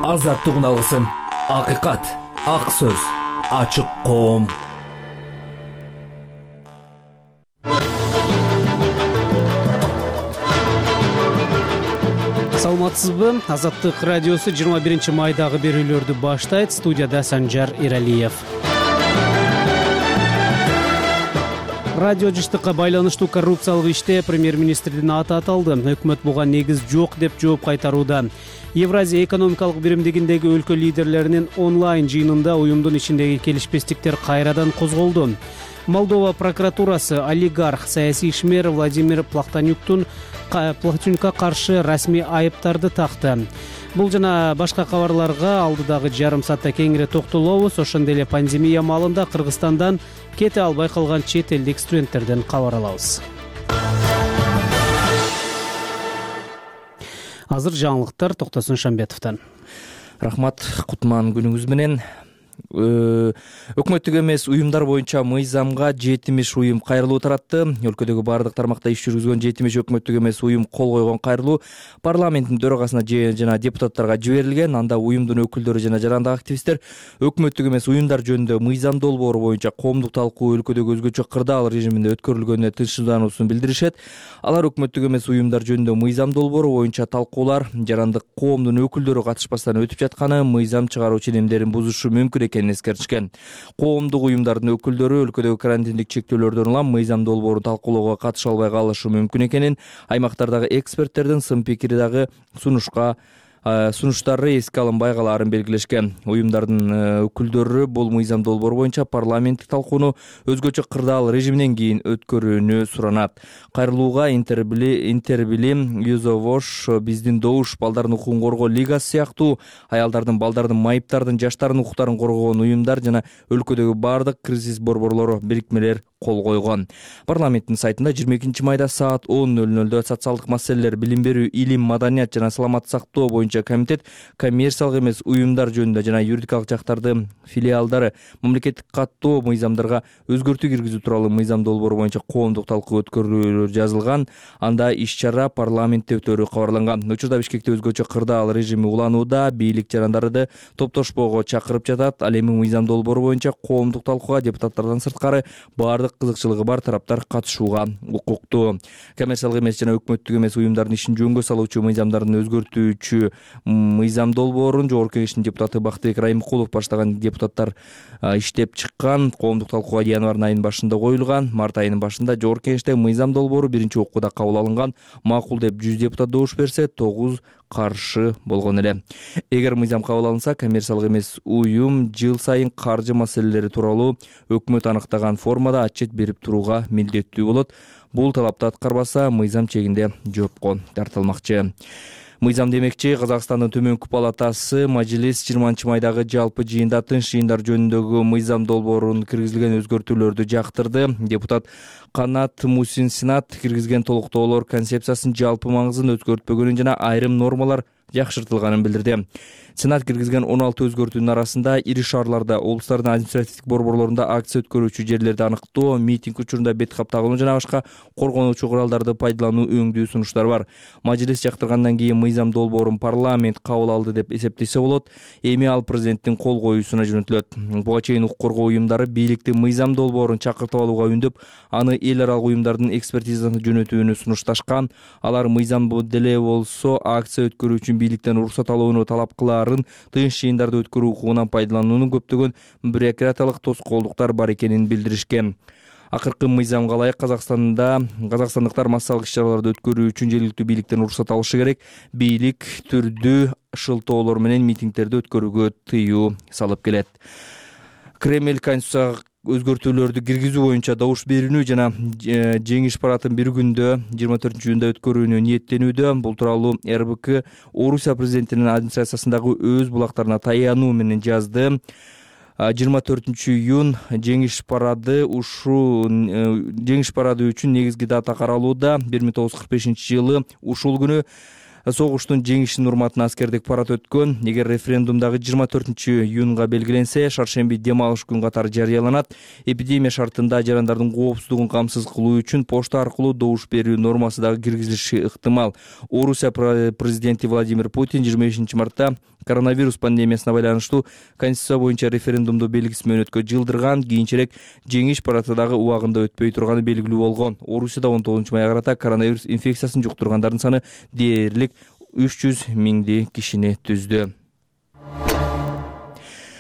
азаттыгын алгысың. Акыйкат, ак сөз, ачык коом. Саламатсызбы? Азаттык радиосу 21 майдагы берүүлөрдү баштайт. Студияда Санжар Иралиев. Радио жыштыкка байланыштуу коррупциялык иште премьер-министрдин аты аталды. Өкмөт буга негиз жок деп жооп кайтарууда. Евразия экономикалык биримдигиндеги өлкө лидерлеринин онлайн жыйынында уюмдун ичиндеги келишпестиктер кайрадан козголду. Молдова прокуратурасы олигарх саясий ишмер Владимир Плахтанюкка каршы расмий айыптарды такты. Бул жана башка кабарларга алдыдагы жарым саатта кеңири токтолобуз. Ошондой эле пандемия маалында Кыргызстандан кете албай калган чет элдик студенттерден кабар алабыз. Азыр жаңылыктар Токтосун Шамбетовдон. Рахмат, кутман күнүңүз менен. Өкмөттүк эмес уюмдар боюнча мыйзамга 70 уюм кайрылуу таратты. Өлкөдөгү бардык тармакта иш жүргүзгөн 70 өкмөттүк эмес уюм кол койгон кайрылуу парламенттин төрагасына жана депутаттарга жиберилген. Анда уюмдун өкүлдөрү жана жарандык активисттер өкмөттүк эмес уюмдар жөнүндө мыйзам долбоору боюнча коомдук талкуу өлкөдөгү өзгөчө кырдаал режиминде өткөрүлгөнүнө тынчсыздануусун билдиришет. Алар өкмөттүк эмес уюмдар жөнүндө мыйзам долбоору боюнча талкуулар жарандык коомдун өкүлдөрү катышпастан өтүп жатканы, мыйзам чыгаруу ченемдерин бузушу мүмкүн экенин эскертишкен. Коомдук уюмдардын өкүлдөрү өлкөдөгү карантиндик чектөөлөрдөн улам мыйзам долбоорун талкуулоого катыша албай калышы мүмкүн экенин, аймактардагы эксперттердин сын пикири дагы сунуштары эске алынбай калаарын белгилешкен. Уюмдардын өкүлдөрү бул мыйзам долбоору боюнча парламенттик талкууну өзгөчө кырдаал режиминен кийин өткөрүүнү суранат. Кайрылууга Интербилим, Юзовош, Биздин добуш, Балдардын укугун коргоо лигасы сыяктуу аялдардын, балдардын, майыптардын, жаштардын укуктарын коргогон уюмдар жана өлкөдөгү бардык кризис борборлору бирикмелер кол койгон. Парламенттин сайтында 22 майда саат 10:00 социалдык маселелер, билим берүү, илим, маданият жана саламаттык сактоо боюнча комитет коммерциялык эмес уюмдар жөнүндө жана юридикалык жактардын филиалдары мамлекеттик каттоо мыйзамдарга өзгөртүү киргизүү тууралуу мыйзам долбоору боюнча коомдук талкуу өткөрүүлөр жазылган. Анда иш-чара парламентте өтөрү кабарланган. Учурда Бишкекте өзгөчө кырдаал режими уланууда, бийлик жарандарды топтошпоого чакырып жатат. Ал эми мыйзам долбоору боюнча коомдук талкууга депутаттардан сырткары бардык кызыкчылыгы бар тараптар катышууга укуктуу. Коммерциялык эмес жана өкмөттүк эмес уюмдардын ишин жөнгө салуучу мыйзамдардын өзгөртүүчү мыйзам долбоорун Жогорку Кеңештин депутаты Бактыбек Райымкулов баштаган депутаттар иштеп чыккан. Коомдук талкууга январь айынын башында коюлган. Март айынын башында Жогорку Кеңеште мыйзам долбоору биринчи окууда кабыл алынган. Макул деп 100 депутат добуш берсе, 9 каршы болгон эле. Эгер мыйзам кабыл алынса, коммерциялык эмес уюм жыл сайын каржы маселелери тууралуу өкмөт анықтаган формада отчет берип турууга милдеттүү болот. Бул талапты аткарбаса, мыйзам чегинде жоопко тартылмакчы. Мыйзам демекчи, Казакстандын төмөнкү палатасы Мажилис 20 майдагы жалпы жыйында тынч жыйындар жөнүндөгү мыйзам долбоорунун киргизилген өзгөртүүлөрдү жактырды. Депутат Канат Мусин Сенат киргизген толуктоолор концепциясынын жалпы маңызын өзгөртпөгөнүн жана айрым нормалар жакшыртылганын билдирди. Сенат киргизген 16 өзгөртүүнүн арасында ири шаарларда, облустардын административдик борборлорунда акция өткөрүүчү жерлерди аныктоо, митинг учурунда бет кап тагынуу жана башка коргонуучу куралдарды пайдалануу өңдүү сунуштар бар. Мажилис жактыргандан кийин мыйзам долбоорун парламент кабыл алды деп эсептесе болот. Эми ал президенттин кол коюусуна жөнөтүлөт. Буга чейин укук коргоо уюмдары бийликтин мыйзам долбоорун чакыртып алууга үндөп, аны эл аралык уюмдардын экспертизасына жөнөтүүнү сунушташкан. Алар мыйзам деле болсо акция өткөрүү үчүн бийликтен уруксат алууну талап кылаарын, тынч жыйындарды өткөрүү укугунан пайдалануунун көптөгөн бюрократиялык тоскоолдуктар бар экенин билдиришкен. Акыркы мыйзамга ылайык казакстандыктар массалык иш-чараларды өткөрүү үчүн жергиликтүү бийликтен уруксат алышы керек. Бийлик түрдүү шылтоолор менен митингдерди өткөрүүгө тыюу салып келет. Кремль конституцияга өзгөртүүлөрдү киргизүү боюнча добуш берүүнү жана жеңиш парадын bir күндө 24-июнда өткөрүүнү ниеттенүүдө. Бул тууралуу РБК Орусия президентинин администрациясындагы өз булактарына таянуу менен жазды. 24-июн жеңиш парады үчүн негизги дата каралууда. 1945-жылы ушул күнү согуштун жеңишинин урматына аскердик парад өткөн. Эгер референдумдагы 24-июнга белгиленсе, шаршемби дем алыш күн катары жарыяланат. Эпидемия шартында жарандардын коопсуздугун камсыз кылуу үчүн почта аркылуу добуш берүү нормасы дагы киргизилиши ыктымал. Орусия президенти Владимир Путин 25 мартта Коронавирус пандемиясына байланыштуу Конституция боюнча референдумду белгисиз мөөнөткө жылдырган, кийинчерээк жеңиш парады дагы убагында өтпөй турганы белгилүү болгон. Орусияда 19-майга карата коронавирус инфекциясын жуктургандардын саны дээрлик 300 миңди кишини түздү.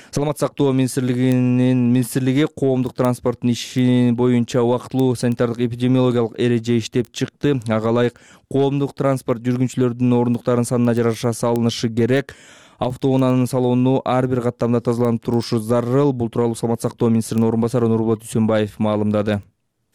Саламаттык сактоо министрлиги коомдук транспорттун иши боюнча убактылуу санитардык эпидемиологиялык эреже иштеп чыкты. Ага ылайык коомдук транспорт жүргүнчүлөрдүн ордуктарынын санына жараша салынышы керек. Автоунаанын салону ар бир каттамда тазаланып турушу зарыл. Бул тууралуу Саламаттык сактоо министринин орун басары Нурболот Дүйсөнбаев маалымдады.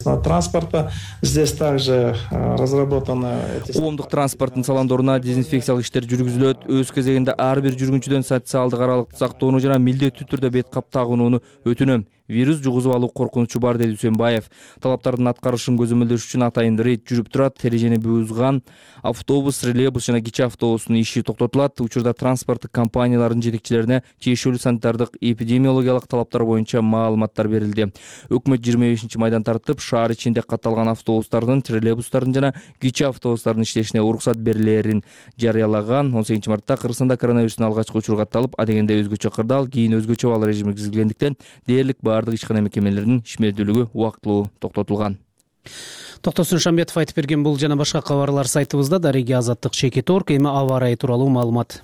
Транспорта здесь также разработаны коомдук транспорттун салондоруна дезинфекциялык иштер жүргүзүлөт. Өз кезегинде ар бир жүргүнчүдөн социалдык аралыкты сактоону жана милдеттүү түрдө бет кап тагынууну өтүнөм. Вирус жугузуп алуу коркунучу бар, деди Дүйсөнбаев. Талаптардын аткарышын көзөмөлдөш үчүн атайын рейд жүрүп турат. Эрежени бузган автобус, троллейбус жана кичи автобустун иши токтотулат. Учурда транспорттук компаниялардын жетекчилерине тиешелүү санитардык эпидемиологиялык талаптар боюнча маалыматтар берилди. Өкмөт 25-майдан тартып шаар ичинде катталган автобустардын, троллейбустардын жана кичи автобустардын иштешине уруксат берилерин жарыялаган. 18-мартта Кыргызстанда коронавирустун алгачкы учуру катталып, адегенде өзгөчө кырдаал, кийин өзгөчө абал режими киргизилгендиктен дээрлик бардык ишкана мекемелеринин ишмердүүлүгү убактылуу токтотулган. Токтосун Шамбетов айтып берген бул жана башка кабарлар сайтыбызда. Дареги Азаттык Чекит.орг. Эми аба ырайы тууралуу маалымат.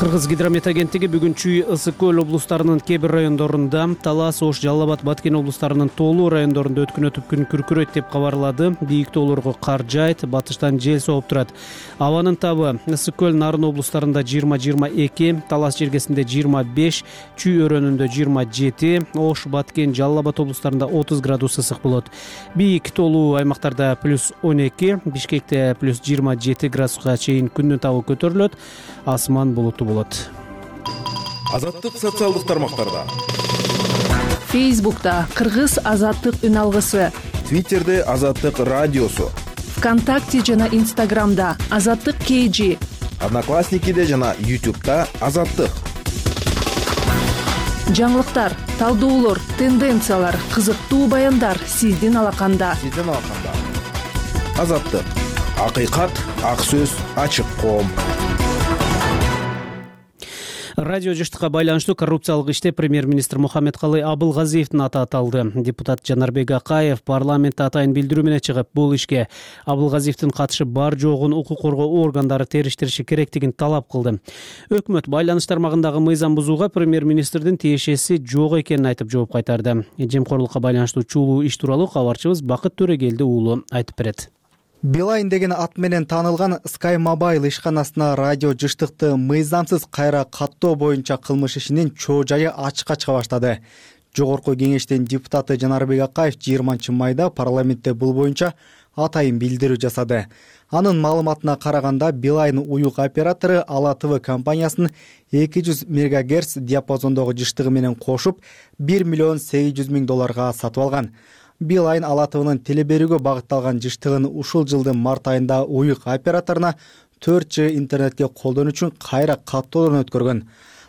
Кыргыз гидромет агенттиги бүгүн Чүй, Ысык көл облустарынын кээ бир райондорунда, Талас, Ош, Жалал Абад, Баткен облустарынын тоолуу райондорунда өткөн өтүп күн күркүрөйт деп кабарлады. Бийик тоолорго кар жаайт, батыштан жел сооп турат. Абанын табы Ысык көл, Нарын облустарында 20-22, Талас жергесинде 25, Чүй өрөөнүндө 27, Ош, Баткен, Жалал Абад облустарында 30 градус ысык болот. Бийик тоолуу аймактарда +12, Бишкекте +27 градуска чейин күндүн табы көтөрүлөт. Асман булуттуу болот. Азаттык социалдык тармактарда. Фейсбукта Кыргыз азаттык үн алгысы, Твиттерде Азаттык радиосу, ВКонтакте жана Инстаграмда Азаттык KG, Одноклассникиде жана YouTube'да Азаттык. Жаңылыктар, талдоолор, тенденциялар, кызыктуу баяндар сиздин алаканда. Азаттык. Акыйкат, ак сөз, ачык коом. Радио жыштыкка байланыштуу коррупциялык иште премьер-министр Мухаммедкалый Абылгазиевдин аты аталды. Депутат Жанарбек Акаев парламентте атайын билдирүү менен чыгып, бул ишке Абылгазиевдин катышы бар жогун укук коргоо органдары териштириши керектигин талап кылды. Өкмөт байланыш тармагындагы мыйзам бузууга премьер-министрдин тиешеси жок экенин айтып жооп кайтарды. Жемкорлукка байланыштуу чулуу иш тууралуу кабарчыбыз Бакыт Төрөгелди уулу айтып берет. Билайн деген ат менен таанылган Sky Mobile ишканасына радио жыштыкты мыйзамсыз кайра каттоо боюнча кылмыш ишинин чоо жайы ачыкка чыга баштады. Жогорку кеңештин депутаты Жанарбек Акаев 20-майда парламентте бул боюнча атайын билдирүү жасады. Анын маалыматына караганда Билайн уюк оператору Ала ТВ компаниясын 200 МГц диапазондогу жыштыгы менен кошуп $1 800 000 сатып алган. Билайн Ала ТВнын теле берүүгө багытталган жыштыгын ушул жылдын март айында уюк операторуна 4G интернетке колдонуу үчүн кайра каттоодон өткөргөн.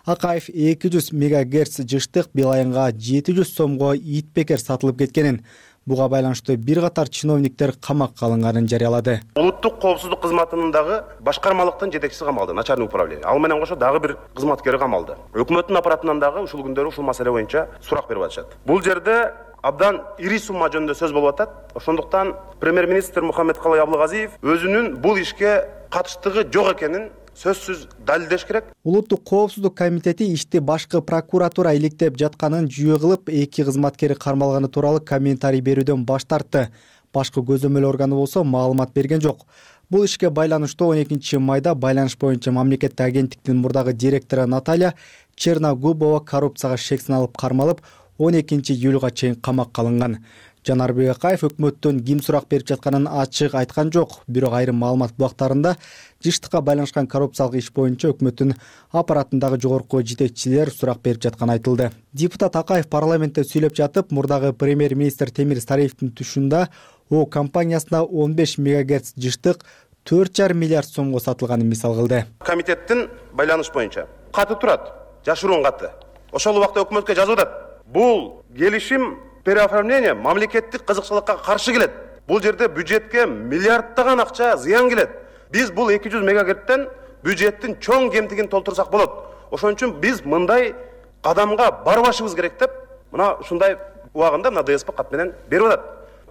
Акаев 200 МГц жыштык Билайнга 700 сомго итбекер сатылып кеткенин, буга байланыштуу бир катар чиновниктер камакка алынганын жарыялады. Улуттук коопсуздук кызматынын дагы башкармалыктын жетекчиси камалды, начальник управление. Ал менен кошо дагы бир кызматкери камалды. Өкмөттүн аппаратынан дагы ушул күндөрү ушул маселе боюнча сурак берип атышат. Бул жерде абдан ири сумма жөнүндө сөз болуп атат. Ошондуктан премьер-министр Мухаммедкалый Абылгазиев өзүнүн бул ишке катыштыгы жок экенин сөзсүз далилдеш керек. Улуттук коопсуздук комитети ишти башкы прокуратура иликтеп жатканын жүйө кылып, 2 кызматкери кармалганы тууралуу комментарий берүүдөн баш тартты. Башкы көзөмөл органы болсо маалымат берген жок. Бул ишке байланыштуу 12-майда байланыш боюнча мамлекеттик агенттиктин мурдагы директору Наталья Черногубова коррупцияга шек саналып кармалып, 12-июлга чейин камакка алынган. Жанарбек Акаев өкмөттөн ким сурак берип жатканын ачык айткан жок. Бирок айрым маалымат бактарында жыштыкка байланышкан коррупциялык иш боюнча өкмөттүн аппаратындагы жогорку жетекчилер сурак берип жатканы айтылды. Депутат Акаев парламентте сүйлөп жатып, мурдагы премьер-министр Темир Сариевдин тушунда О компаниясына 15 МГц жыштык 4,5 миллиард сомго сатылганын мисал кылды. Комитеттин байланыш боюнча каты турат, жашыруун каты. Ошол убакта өкмөткө жазып атат. Бул келишим переоформление мамлекеттик кызыкчылыкка каршы келет. Бул жерде бюджетке миллиардтаган акча зыян келет. Биз бул 200 мегагерттен бюджеттин чоң кемтигин толтурсак болот. Ошон үчүн биз мындай кадамга барбашыбыз керек деп мына ушундай убагында мына ДСП кат менен берип атат.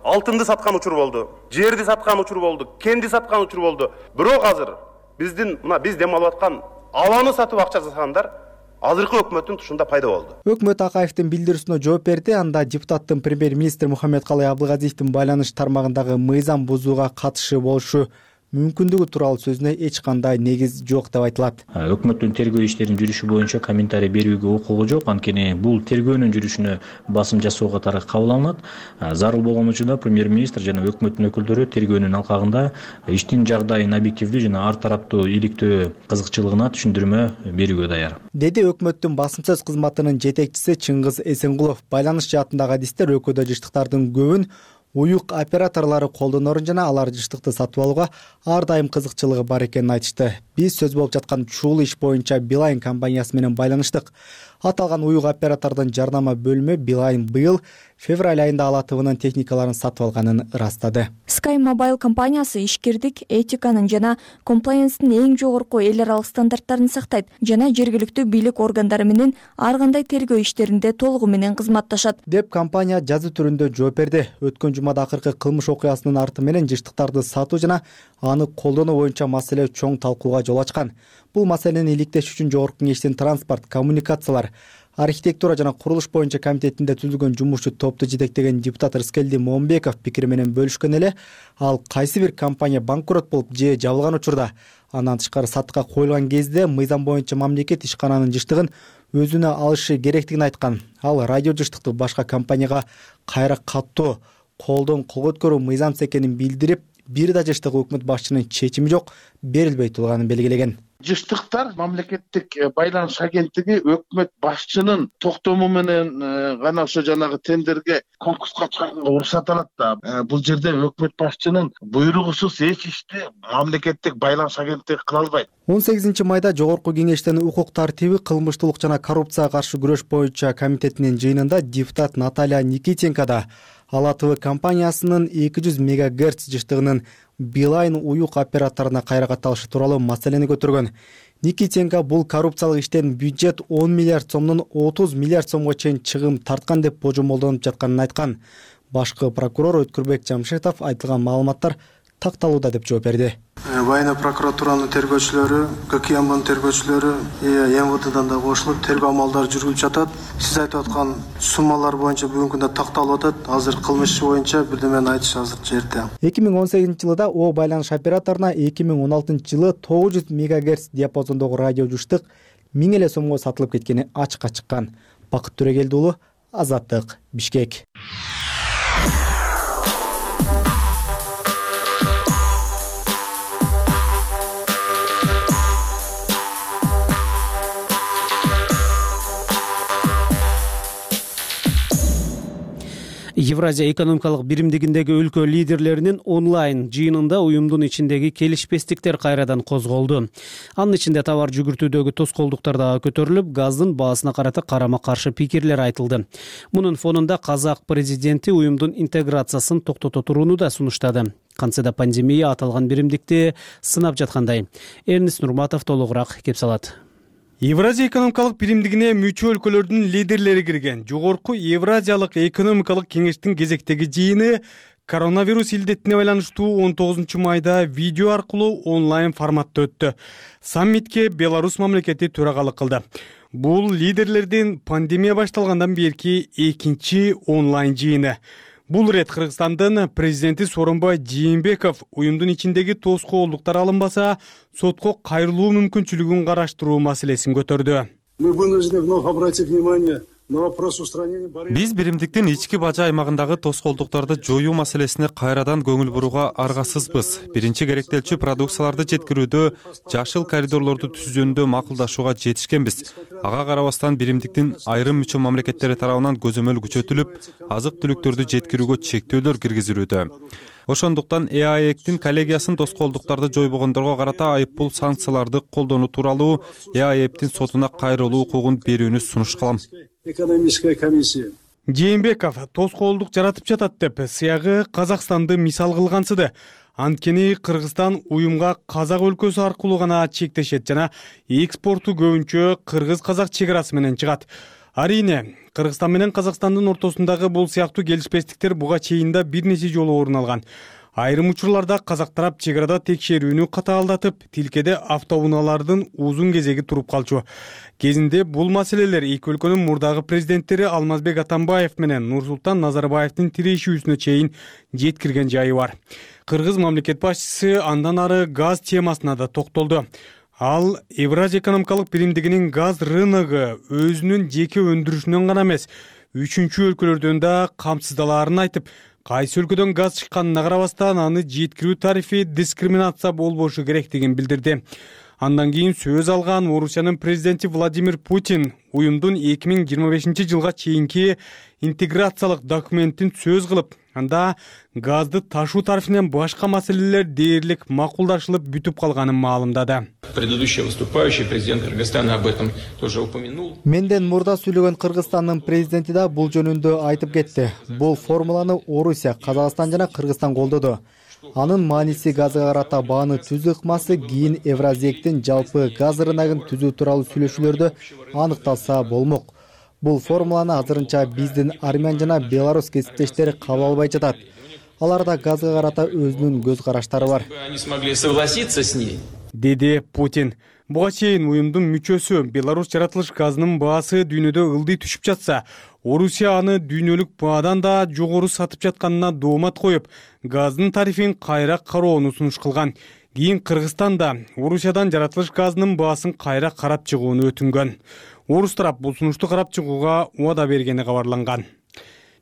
Алтынды саткан учур болду, жерди саткан учур болду, кенди саткан учур болду. Бирок азыр биз дем алып аткан абаны сатып акча жасагандар азыркы өкмөттүн тушунда пайда болду. Өкмөт Акаевдин билдирүүсүнө жооп берди. Анда депутаттын премьер-министр Мухаммедкалый Абдылгазиевдин байланыш тармагындагы мыйзам бузууга катышы болушу мүмкүндүгү тууралуу сөзүнө эч кандай негиз жок деп айтылат. Өкмөттүн тергөө иштеринин жүрүшү боюнча комментарий берүүгө укугу жок. Анткени бул тергөөнүн жүрүшүнө басым жасоо катары кабыл алынат. Зарыл болгон учурда премьер-министр жана өкмөттүн өкүлдөрү тергөөнүн алкагында иштин жагдайын объективдүү жана ар тараптуу иликтөө кызыкчылыгына түшүндүрмө берүүгө даяр, деди өкмөттүн басымсыз кызматынын жетекчиси Чыңгыз Эсенгулов. Байланыш жаатындагы адистер өлкөдө жыштыктардын көбүн уюк операторлору колдонорун жана алар жыштыкты сатып алууга ар дайым кызыкчылыгы бар экенин айтышты. Биз сөз болуп жаткан ушул иш боюнча Билайн компаниясы менен байланыштык. Аталган уюк оператордун жарнама бөлүмү Билайн быйыл февраль айында Ала ТВнын техникаларын сатып алганын ырастады. Sky Mobile компаниясы ишкердик, этиканын жана комплаенстин эң жогорку эл аралык стандарттарын сактайт жана жергиликтүү бийлик органдары менен ар кандай тергөө иштеринде толугу менен кызматташат деп компания жазуу түрүндө жооп берди. Өткөн жумада акыркы кылмыш окуясынын арты менен жыштыктарды сатуу жана аны колдонуу боюнча маселе чоң талкууга жол ачкан. Бул маселени иликтеш үчүн Жогорку Кеңештин транспорт, коммуникациялар, архитектура жана курулуш боюнча комитетинде түзүлгөн жумушчу топту жетектеген депутат Рыскелди Момбеков пикири менен бөлүшкөн эле. Ал кайсы бир компания банкрот болуп же жабылган учурда, андан тышкары сатыкка коюлган кезде мыйзам боюнча мамлекет ишкананын жыштыгын өзүнө алышы керектигин айткан. Ал радио жыштыкты башка компанияга кайра каттоо, колдон кол көткөрүү мыйзамсыз экенин билдирип, бир да жыштык өкмөт башчынын чечими жок, берилбей турганын белгилеген. Жыштыктар мамлекеттик байланыш агенттиги өкмөт башчынын токтому менен гана ошо жанагы тендерге конкурска чыгарганга уруксат алат да. Бул жерде өкмөт башчынын буйругусуз эч ишти мамлекеттик байланыш агенттиги кыла албайт. 18 майда Жогорку Кеңештин укук тартиби, кылмыштуулук жана коррупцияга каршы күрөш боюнча комитетинин жыйынында депутат Наталья Никитенко да Ала ТВ компаниясынын 200 МГц жыштыгынын Билайн уюк операторуна кайра катталышы тууралуу маселени көтөргөн. Никитенко бул коррупциялык иштен бюджет 10 миллиард сомдон 30 миллиард сомго чейин чыгым тарткан деп божомолдонуп жатканын айткан. Башкы прокурор Өткүрбек Жамшитов айтылган маалыматтар такталууда деп жооп берди. Военный прокуратуранын тергөөчүлөрү, ККМБнын тергөөчүлөрү МВДдан да кошулуп тергөө амалдары жүргүлүп жатат. Сиз айтып аткан суммалар боюнча бүгүнкү күндө такталып атат. Азыр кылмыш боюнча бирдемени айтыш азыр жерде. 2018 жылда О байланыш операторуна 2016 жылы 900 МГц диапазондогу радио жыштык 1000 эле сомго сатылып кеткени ачыкка чыккан. Бакыт Төрөгелди уулу, Азаттык, Бишкек. Евразия экономикалык биримдигиндеги өлкө лидерлеринин онлайн жыйынында уюмдун ичиндеги келишпестиктер кайрадан козголду. Анын ичинде товар жүгүртүүдөгү тоскоолдуктар дагы көтөрүлүп, газдын баасына карата карама-каршы пикирлер айтылды. Мунун фонунда казак президенти уюмдун интеграциясын токтото турууну да сунуштады. Кантсе да пандемия аталган биримдикти сынап жаткандай. Эрнис Нурматов толугураак кеп салат. Евразия экономикалык биримдигине мүчө өлкөлөрдүн лидерлери кирген Жогорку Евразиялык экономикалык кеңештин кезектеги жыйыны коронавирус илдетине байланыштуу 19 майда видео аркылуу онлайн форматта өттү. Саммитке Беларусь мамлекети төрагалык кылды. Бул лидерлердин пандемия башталгандан берки экинчи онлайн жыйыны. Бул рет Кыргызстандын президенти Сооронбай Жээнбеков уюмдун ичиндеги тоскоолдуктар алынбаса, сотко кайрылуу мүмкүнчүлүгүн караштыруу маселесин көтөрдү. Мы вынуждены вновь обратить внимание на вопрос устранения барьеров. Биз биримдиктин ички бажа аймагындагы тоскоолдуктарды жоюу маселесине кайрадан көңүл бурууга аргасызбыз. Биринчи керектелчү продукцияларды жеткирүүдө жашыл коридорлорду түзүү жөнүндө макулдашууга жетишкенбиз. Ага карабастан биримдиктин айрым мүчө мамлекеттери тарабынан көзөмөл күчөтүлүп, азык-түлүктөрдү жеткирүүгө чектөөлөр киргизилүүдө. Ошондуктан ЭАЭКтин коллегиясын тоскоолдуктарды жойбогондорго карата айыппул санкцияларды колдонуу тууралуу ЭАЭКтин сотуна кайрылуу укугун берүүнү сунуш кылам. Экономическая комиссия. Жээнбеков тоскоолдук жаратып жатат деп сыягы Казакстанды мисал кылгансыды. Анткени Кыргызстан уюмга Казак өлкөсү аркылуу гана чектешет жана экспорту көбүнчө кыргыз-казак чек арасы менен чыгат. Арине, Кыргызстан менен Казакстандын ортосундагы бул сыяктуу келишпестиктер буга чейин да бир нече жолу орун алган. Айрым учурларда казак тарап чек арада текшерүүнү катаалдатып, тилкеде автоунаалардын узун кезеги туруп калчу. Кезинде бул маселелер эки өлкөнүн мурдагы президенттери Алмазбек Атамбаев менен Нурсултан Назарбаевдин тирешүүсүнө чейин жеткирген жайы бар. Кыргыз мамлекет башчысы андан ары газ темасына да токтолду. Ал Евразия экономикалык биримдигинин газ рыногу өзүнүн жеке өндүрүшүнөн гана эмес, үчүнчү өлкөлөрдөн да камсыздалаарын айтып, кайсы өлкөдөн газ чыкканына карабастан аны жеткирүү тарифи дискриминация болбошу керектигин билдирди. Андан кийин сөз алган Орусиянын президенти Владимир Путин уюмдун 2025 жылга чейинки интеграциялык документин сөз кылып, анда газды ташуу тарифинен башка маселелер дээрлик макулдашылып бүтүп калганын маалымдады. Предыдущий выступающий президент Кыргызстана об этом тоже упомянул. Менден мурда сүйлөгөн Кыргызстандын президенти да бул жөнүндө айтып кетти. Бул формуланы Орусия, Казакстан жана Кыргызстан колдоду. Анын мааниси газга карата бааны түзүү ыкмасы кийин Евразиектин жалпы газ рыногун түзүү тууралуу сүйлөшүүлөрдө аныкталса болмок. Бул формуланы азырынча биздин Армян жана Беларусь кесиптештери кабыл албай жатат. Аларда газга карата өзүнүн көз караштары бар. Они смогли согласиться с ней. Деди Путин. Буга чейин уюмдун мүчөсү Беларусь жаратылыш газынын баасы дүйнөдө ылдый түшүп жатса, Орусия аны дүйнөлүк баадан да жогору сатып жатканына доомат коюп, газдын тарифин кайра кароону сунуш кылган. Кийин Кыргызстан да Орусиядан жаратылыш газынын баасын кайра карап чыгууну өтүнгөн. Орус тарап бул сунушту карап чыгууга убада бергени кабарланган.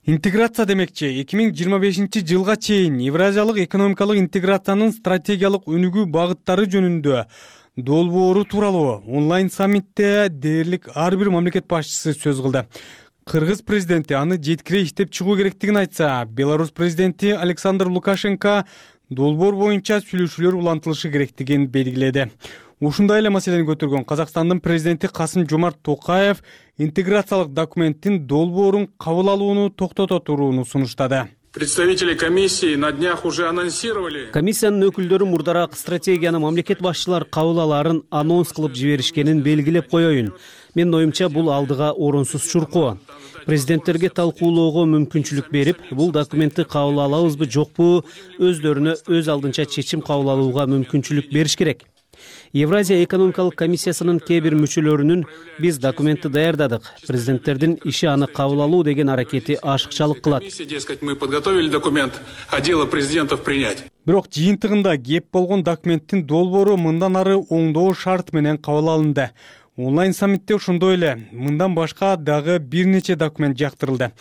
Интеграция демекчи 2025 жылга чейин Евразиялык экономикалык интеграциянын стратегиялык өнүгүү багыттары жөнүндө долбоору тууралуу онлайн саммитте дээрлик ар бир мамлекет башчысы сөз кылды. Кыргыз президенти аны жеткире иштеп чыгуу керектигин айтса, Беларусь президенти Александр Лукашенко долбоор боюнча сүйлөшүүлөр улантылышы керектигин белгиледи. Ушундай эле маселени көтөргөн Казакстандын президенти Касым-Жомарт Токаев интеграциялык документтин долбоорун кабыл алууну токтото турууну сунуштады. Представители комиссии на днях уже анонсировали. Комиссиянын өкүлдөрү мурдараак стратегияны мамлекет башчылар кабыл алаарын анонс кылып жиберишкенин белгилеп коеюн. Менин оюмча бул алдыга орунсуз чуркоо. Президенттерге талкуулоого мүмкүнчүлүк берип, бул документти кабыл алабызбы жокпу, өздөрүнө өз алдынча чечим кабыл алууга мүмкүнчүлүк бериш керек. Евразия экономикалык комиссиясынын кээ бир мүчөлөрүнүн биз документти даярдадык, президенттердин иши аны кабыл алуу деген аракети ашыкчалык кылат. Мы подготовили документ, а дело президентов принять. Бирок жыйынтыгында кеп болгон документтин долбоору мындан ары оңдоо шарт менен кабыл алынды. Онлайн саммитте ошондой эле мындан башка дагы бир нече документ жактырылды.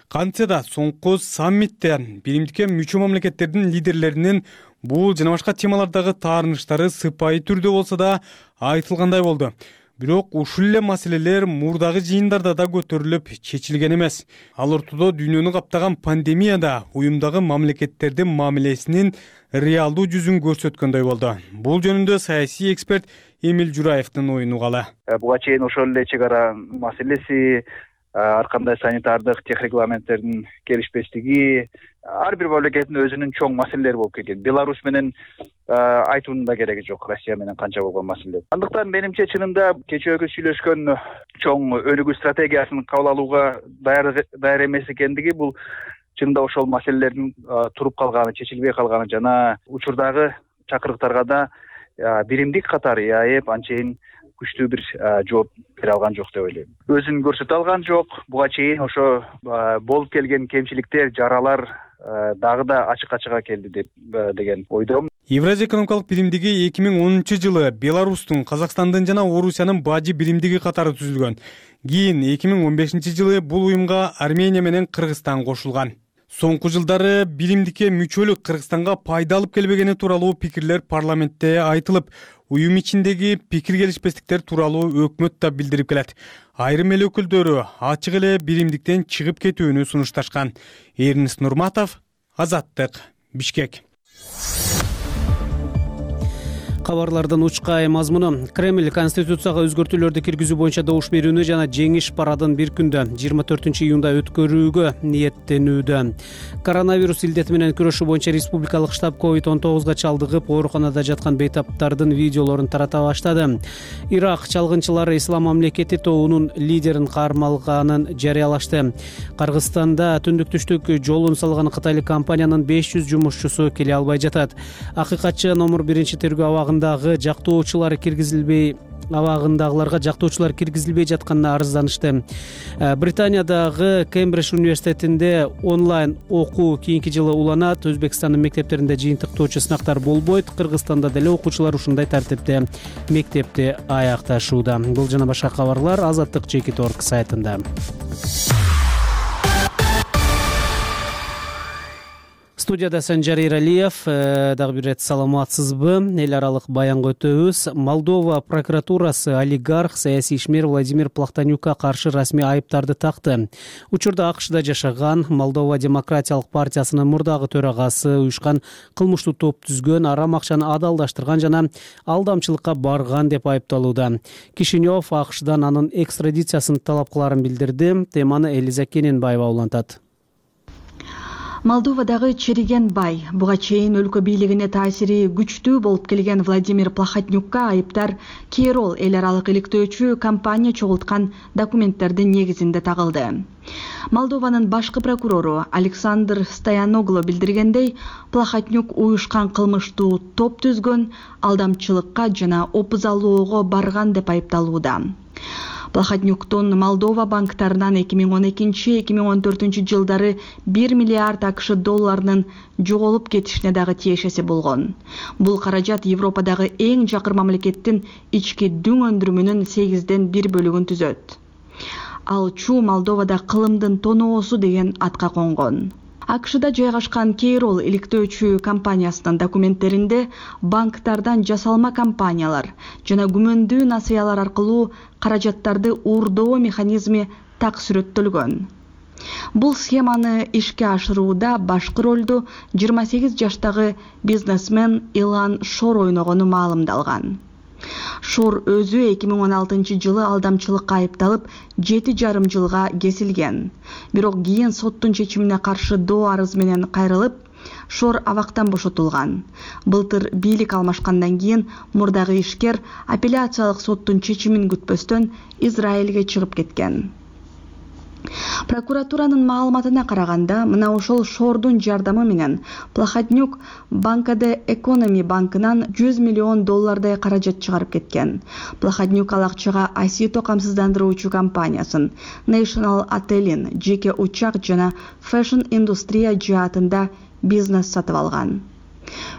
Кантсе да соңку саммитте биримдикке мүчө мамлекеттердин лидерлеринин бул жана башка темалардагы таарыныштары сыпайы түрдө болсо да айтылгандай болду. Бирок ушул эле маселелер мурдагы жыйындарда да көтөрүлүп чечилген эмес. Ал ортодо дүйнөнү каптаган пандемияда уюмдагы мамлекеттердин мамилесинин реалдуу жүзүн көрсөткөндөй болду. Бул жөнүндө саясий эксперт Эмил Жураевдин оюн угалы. Буга чейин ошол эле чек ара маселеси, ар кандай санитардык техрегламенттердин келишпестиги, ар бир мамлекеттин өзүнүн чоң маселелери болуп келген. Беларусь менен айтуунун да кереги жок, Россия менен канча болгон маселе. Андыктан менимче чынында кечээкү сүйлөшкөн чоң өнүгүү стратегиясын кабыл алууга даяр эмес экендиги, бул чынында ошол маселелердин туруп калганы, чечилбей калганы жана учурдагы чакырыктарга да биримдик катары АЭП анчейин күчтүү бир жооп бере алган жок деп ойлойм. Өзүн көрсөтө алган жок. Буга чейин ошо болуп келген кемчиликтер, жаралар дагы да ачык-ачыга келди деген ойдомун. Евразия экономикалык биримдиги 2010 жылы Беларустун, Казакстандын жана Орусиянын бажы биримдиги катары түзүлгөн. Кийин 2015 жылы бул уюмга Армения менен Кыргызстан кошулган. Соңку жылдары биримдикке мүчөлүк Кыргызстанга пайда алып келбегени тууралуу пикирлер парламентте айтылып, уюм ичиндеги пикир келишпестиктер тууралуу өкмөт да билдирип келет. Айрым эл өкүлдөрү ачык эле биримдиктен чыгып кетүүнү сунушташкан. Эрнис Нурматов, Азаттык, Бишкек. Кабарлардын учкай мазмуну. Кремль Конституцияга өзгөртүүлөрдү киргизүү боюнча добуш берүүнү жана жеңиш парадын бир күндө 24-июнда өткөрүүгө ниеттенүүдө. Коронавирус илдети менен күрөшүү боюнча республикалык штаб COVID-19 чалдыгып, ооруканада жаткан бейтаптардын видеолорун тарата баштады. Ирак чалгынчылары Ислам мамлекети тобунун лидерин кармалганын жарыялашты. Кыргызстанда түндүк-түштүк жолун салган кытайлык компаниянын 500 жумушчусу келе албай жатат. Акыйкатчы номер 1 тергөө абагындагыларга жактоочулар киргизилбей жатканына арызданышты. Британиядагы Кембридж университетинде онлайн окуу кийинки жылы уланат. Өзбекстандын мектептеринде жыйынтыктоочу сынактар болбойт. Кыргызстанда деле окуучулар ушундай тартипте мектепти аякташууда. Бул жана башка кабарлар Азаттык.org сайтында. Студияда Санжар Иралиев. Дагы бир рет саламатсызбы? Эл аралык баянга өтөбүз. Молдова прокуратурасы олигарх, саясий ишмер Владимир Плахтанюкка каршы расмий айыптарды такты. Учурда АКШда жашаган, Молдова демократиялык партиясынын мурдагы төрагасы уюшкан кылмыштуу топ түзгөн, арам акчаны адалдаштырган жана алдамчылыкка барган деп айыпталууда. Кишинев АКШдан анын экстрадициясын талап кыларын билдирди. Теманы Элиза Кененбаева улантат. Молдовадагы чириген бай, буга чейин өлкө бийлигине таасири күчтүү болуп келген Владимир Плахотнюкка айыптар Кейрол эл аралык иликтөөчү компания чогулткан документтердин негизинде тагылды. Молдованын башкы прокурору Александр Стояноглу билдиргендей, Плахотнюк уюшкан кылмыштуу топ түзгөн, алдамчылыкка жана опузалоого барган деп айыпталууда. Плахотнюктун Молдова банктарынан 2012-2014 жылдары 1 миллиард АКШ долларынын жоголуп кетишине дагы тиешеси болгон. Бул каражат Европадагы эң жакыр мамлекеттин ички дүң өндүрүмүнүн 8ден 1 бөлүгүн түзөт. Ал чуу Молдовада кылымдын тоноосу деген атка конгон. АКШда жайгашкан Кейрол иликтөөчү компаниясынын документтеринде банктардан жасалма компаниялар жана күмөндүү насыялар аркылуу каражаттарды уурдоо механизми так сүрөттөлгөн. Бул схеманы ишке ашырууда башкы ролду 28 жаштагы бизнесмен Илан Шор ойногону маалымдалган. Шор өзү 2016 жылы алдамчылыкка айыпталып 7,5 жылга кесилген. Бирок кийин соттун чечимине каршы доо арыз менен кайрылып, Шор абактан бошотулган. Былтыр бийлик алмашкандан кийин мурдагы ишкер апелляциялык соттун чечимин күтпөстөн Израилге чыгып кеткен. Прокуратуранын маалыматына караганда, мына ошол Шордун жардамы менен Плахотнюк Банкаде Экономи банкынан 100 миллион доллардай каражат чыгарып кеткен. Плахотнюк ал акчага Асито камсыздандыруучу компаниясын, National Atelin, жеке учак жана Fashion индустрия жаатында бизнес сатып алган.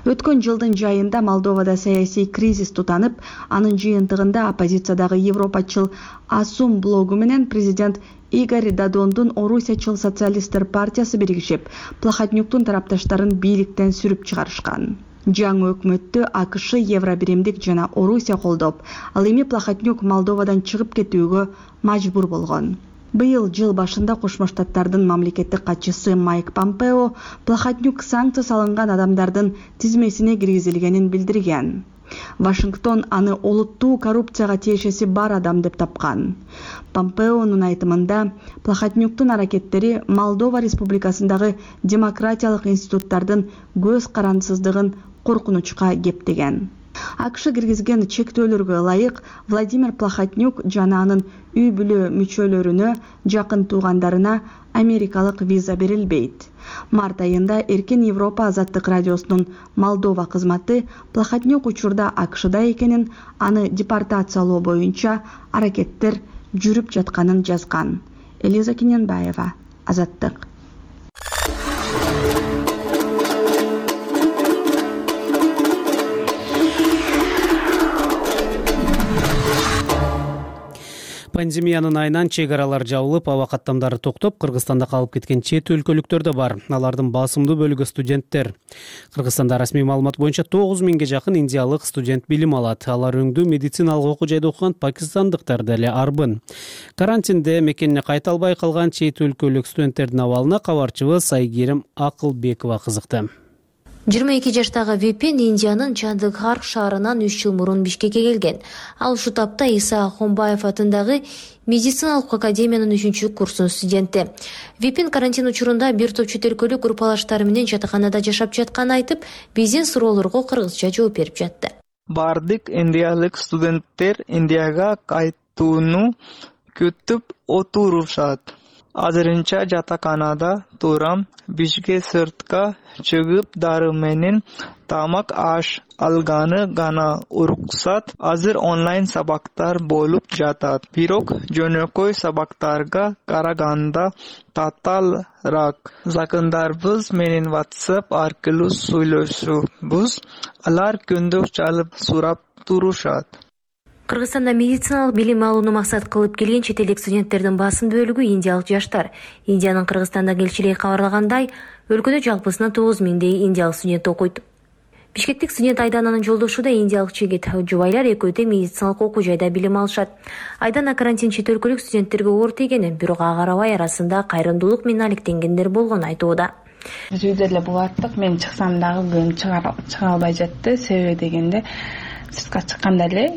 Өткөн жылдын жайында Молдовада саясий кризис тутанып, анын жыйынтыгында оппозициядагы европачыл Асум блогу менен президент Игорь Додондун Орусиячыл социалисттер партиясы биригишип, Плахотнюктун тарапташтарын бийликтен сүрүп чыгарышкан. Жаңы өкмөттү АКШ, Евробиримдик жана Орусия колдоп, ал эми Плахотнюк Молдовадан чыгып кетүүгө мажбур болгон. Быйыл жыл башында Кошмо Штаттардын мамлекеттик катчысы Майк Помпео Плахотнюк санкция салынган адамдардын тизмесине киргизилгенин билдирген. Вашингтон аны олуттуу коррупцияга тиешеси бар адам деп тапкан. Помпеонун айтымында, Плахотнюктун аракеттери Молдова Республикасындагы демократиялык институттардын көз карандысыздыгын коркунучка кептеген. АКШ киргизген чектөөлөргө ылайык Владимир Плахотнюк жана анын үй бүлө мүчөлөрүнө, жакын туугандарына америкалык виза берилбейт. Март айында Эркин Европа Азаттык радиосунун Молдова кызматы Плахотнюк учурда АКШда экенин, аны депортациялоо боюнча аракеттер жүрүп жатканын жазган. Элиза Кененбаева, Азаттык. Пандемиянын айынан чек аралар жабылып, аба каттамдары токтоп, Кыргызстанда калып кеткен чет өлкөлүктөр да бар. Алардын басымдуу бөлүгү студенттер. Кыргызстанда расмий маалымат боюнча 9000 жакын индиялык студент билим алат. Алар өңдүү медициналык окуу жайда окуган пакистандыктар деле арбын. Карантинде мекенине кайта албай калган чет өлкөлүк студенттердин абалына кабарчыбыз Айгерим Акылбекова кызыкты. 22 жаштагы Випин Индиянын Чандыгхар шаарынан 3 жыл мурун Бишкекке келген. Ал ушул тапта Иса Ахунбаев атындагы медициналык академиянын 3 курсунун студенти. Випин карантин учурунда бир топ чет өлкөлүк группалаштары менен жатаканада жашап жатканын айтып, биздин суроолорго кыргызча жооп берип жатты. Бардык индиялык студенттер Индияга кайтууну күтүп отурушат. Азырынча жатаканада турам. Бишке сыртка чыгып дары менен тамак аш алганы гана уруксат. Азыр онлайн сабактар болуп жатат. Бирок жөнөкөй сабактарга караганда татаалраак. Жакындарыбыз менен WhatsApp аркылуу сүйлөшөбүз. Алар күндү чалып сурап турушат. Кыргызстанда медициналык билим алууну максат кылып келген чет элдик студенттердин басым бөлүгү индиялык жаштар. Индиянын Кыргызстандагы элчилиги кабарлагандай, өлкөдө жалпысынан 9 миңдей индиялык студент окуйт. Бишкектик студент Айдананын жолдошу да индиялык жигит. Жубайлар экөө да медициналык окуу жайда билим алышат. Айдана карантин чет өлкөлүк студенттерге оор тийгени, бирок ага карабай арасында кайрымдуулук менен алектенгендер болгонун айтууда. Биз үйдө эле булаттык, мен чыксам дагы күн чыга албай жатты. Себеби дегенде сыртка чыкканда эле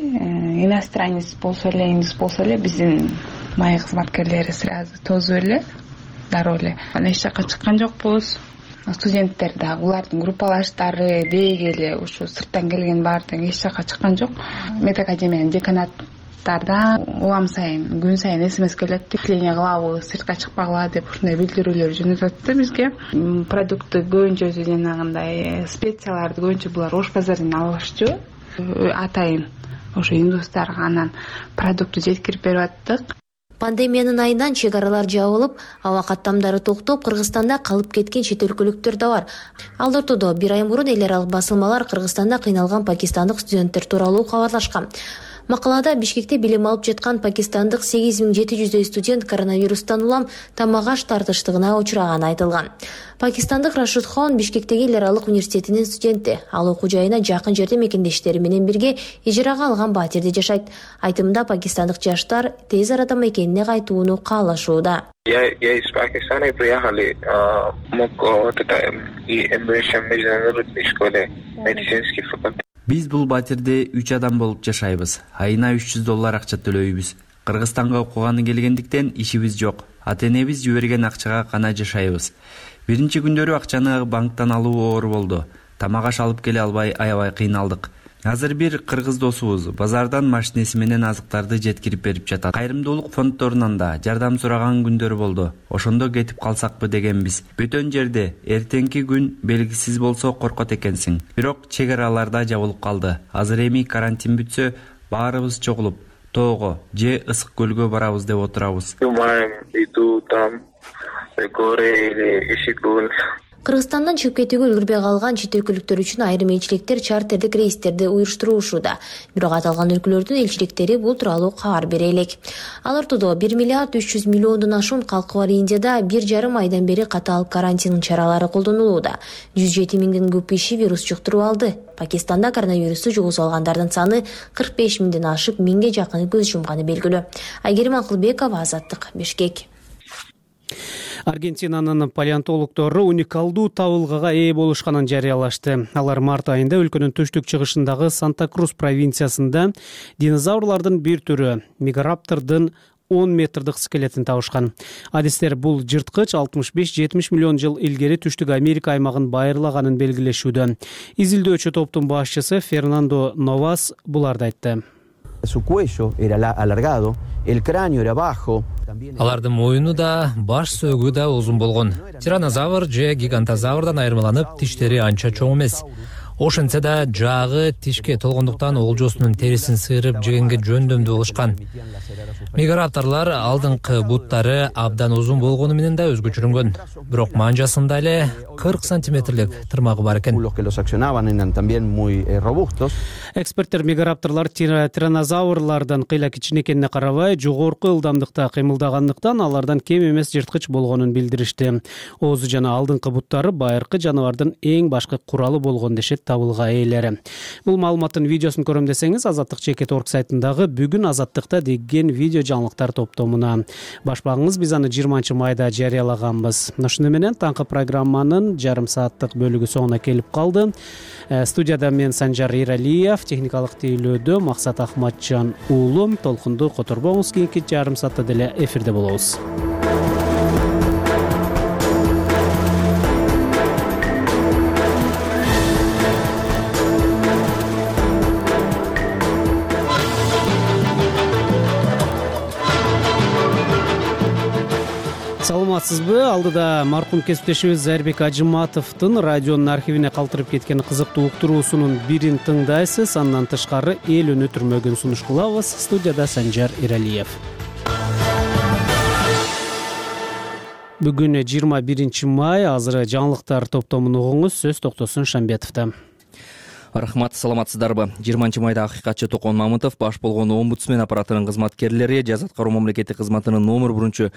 иностранец болсо эле, индус болсо эле биздин май кызматкерлери сразу тосуп эле, дароо эле. Эч жака чыккан жокпуз. Студенттер да, улардын группалаштары дейги эле ушу сырттан келген баардыгы эч жака чыккан жок. Медакадемиянын деканаттардан улам сайын, күн сайын СМС келет, тикление кылабы, сыртка чыкпагыла деп ушундай билдирүүлөр жөнөтүп атты бизге. Продукты көбүнчө жанагындай специяларды көбүнчө булар ош базардан алышчу. Атайын ошо индустарга анан продуктты жеткирип берип аттык. Пандемиянын айынан чек аралар жабылып, аба каттамдары токтоп, Кыргызстанда калып кеткен чет өлкөлүктөр да бар. Ал ортодо бир ай мурун эл аралык басылмалар Кыргызстанда кыйналган пакистандык студенттер тууралуу кабарлашкан. Макалада Бишкекте билим алып жаткан пакистандык 8700 студент коронавирустан улам тамак аш тартыштыгына учураганы айтылган. Пакистандык Рашид Хон Бишкектеги эл аралык университетинин студенти. Ал окуу жайына жакын жерде мекендештери менен бирге ижарага алган батирде жашайт. Айтымында пакистандык жаштар тез арада мекенине кайтууну каалашууда. Я из Пакистана приехали, мог и международной школе медицинский факультет. Биз бул батирде 3 адам болуп жашайбыз. Айына $300 акча төлөйбүз. Кыргызстанга окуганы келгендиктен ишибиз жок. Ата-энебиз жиберген акчага гана жашайбыз. Биринчи күндөрү акчаны банктан алуу оор болду. Тамак аш алып келе албай аябай кыйналдык. Азыр бир кыргыз досубуз базардан машинеси менен азыктарды жеткирип берип жатат. Кайрымдуулук фонддорунан да жардам сураган күндөр болду. Ошондо кетип калсакпы дегенбиз. Бөтөн жерде эртеңки күн белгисиз болсо коркот экенсиң. Бирок чек араларда жабылып калды. Азыр эми карантин бүтсө баарыбыз чогулуп тоого же ысык көлгө барабыз деп отурабыз. Кыргызстандан чыгып кетүүгө үлгүрбөй калган чет өлкөлүктөр үчүн айрым элчиликтер чартердик рейстерди уюштуруушууда. Бирок аталган өлкөлөрдүн элчиликтери бул тууралуу кабар бере элек. Ал ортодо 1 миллиард 300 миллиондон ашуун калкы бар Индияда 1,5 айдан бери катаал карантин чаралары колдонулууда. 107 миңден көп киши вирус жуктуруп алды. Пакистанда коронавирусту жугузуп алгандардын саны 45 миңден ашып, 1000ге жакын көз жумганы белгилүү. Айгерим Акылбекова, Азаттык, Бишкек. Аргентинанын палеонтологдору уникалдуу табылгага ээ болушканын жарыялашты. Алар март айында өлкөнүн түштүк-чыгышындагы Санта-Крус провинциясында динозаврлардын бир түрү мегараптордун 10 метрдик скелетин табышкан. Адистер бул жырткыч 65-70 миллион жыл илгери Түштүк Америка аймагын байырлаганын белгилешүүдө. Изилдөөчү топтун башчысы Фернандо Новас буларды айтты. Su cuello era alargado, el cráneo era bajo. Алардын моюну да, баш сөөгү да узун болгон. Тиранозавр же гигантозаврдан айырмаланып, тиштери анча чоң эмес. Ошентсе да жагы тишке толгондуктан олжосунун терисин сыйрып жегенге жөндөмдүү кылышкан. Мегарапторлар алдыңкы буттары абдан узун болгону менен да өзгөчөрүнгөн. Бирок манжасында эле 40 сантиметрлик тырмагы бар экен. Эксперттер мегарапторлар тиранозаврлардан кыйла кичинекенине карабай, жогорку ылдамдыкта кыймылдагандыктан алардан кем эмес жырткыч болгонун билдиришти. Оозу жана алдыңкы буттары байыркы жаныбардын эң башкы куралы болгон дешет табылга ээлери. Бул маалыматтын видеосун көрөм десеңиз, Азаттык.org сайтындагы бүгүн Азаттыкта деген видео жаңылыктар топтомуна баш багыңыз. Биз аны 20 майда жарыялаганбыз. Ошону менен таңкы программанын жарым сааттык бөлүгү соңуна келип калды. Студияда мен Санжар Иралиев, техникалык тейлөөдө Максат Ахматжан уулу. Толкунду которбоңуз, кийинки жарым саатта деле эфирде болобуз. Саламатсызбы? Алдыда маркум кесиптешибиз Зайырбек Ажыматовдун радионун архивине калтырып кеткен кызыктуу уктуруусунун бирин тыңдайсыз. Андан тышкары эл өнүтүрмөгүн сунуш кылабыз. Студияда Санжар Иралиев. Бүгүн 21 май. Азыр жаңылыктар топтомун угуңуз. Сөз Токтосун Шамбетовдо. Рахмат, саламатсыздарбы? 20 майда акыйкатчы Токон Мамытов баш болгон омбудсмен аппаратынын кызматкерлери жаза аткаруу мамлекеттик кызматынын номер 1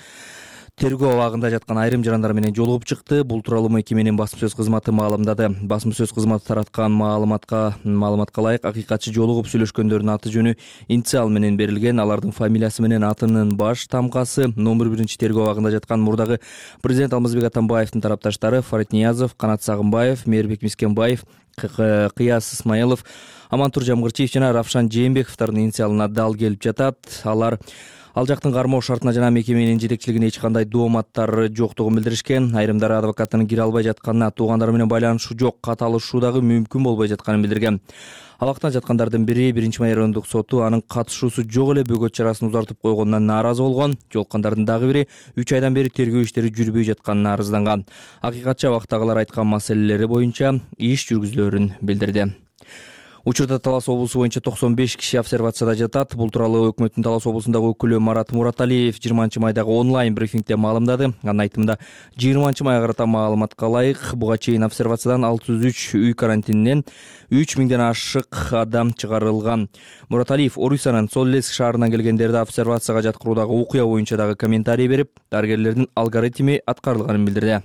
тергөө абагында жаткан айрым жарандар менен жолугуп чыкты. Бул тууралуу мекеменин басма сөз кызматы маалымдады. Басма сөз кызматы тараткан маалыматка ылайык акыйкатчы жолугуп сүйлөшкөндөрдүн аты жөнү инициал менен берилген. Алардын фамилиясы менен атынын баш тамкасы номер 1 тергөө абагында жаткан мурдагы президент Алмазбек Атамбаевдин тарапташтары Фарид Ниязов, Канат Сагынбаев, Мээрбек Мискенбаев, Кыяс Исмаилов, Амантур Жамгырчиев жана Равшан Жээнбековдордун инициалына дал келип жатат. Ал жактын кармоо шартына жана мекеменин жетекчилигине эч кандай дооматтар жоктугун билдиришкен. Айрымдары адвокаттын кире албай жатканына, туугандары менен байланышы жок, кат алышуу дагы мүмкүн болбой жатканын билдирген. Абактан жаткандардын бири 1 май райондук соту анын катышуусу жок эле бөгөт чарасын узартып койгонунан нааразы болгон. Жолуккандардын дагы бири 3 айдан бери тергөө иштери жүрбөй жатканына арызданган. Акыйкатчы абактагылар айткан маселелери боюнча иш жүргүзүлөрүн билдирди. Учурда Талас облусу боюнча 95 киши обсервацияда жатат. Бул тууралуу өкмөттүн Талас облусундагы өкүлү Марат Мураталиев 20 майдагы онлайн брифингде маалымдады. Анын айтымында 20 майга карата маалыматка ылайык буга чейин обсервациядан 603 үй карантининен 3000ден ашык адам чыгарылган. Мураталиев Орусиянын Соллеск шаарынан келгендерди обсервацияга жаткыруудагы окуя боюнча дагы комментарий берип, дарыгерлердин алгоритми аткарылганын билдирди.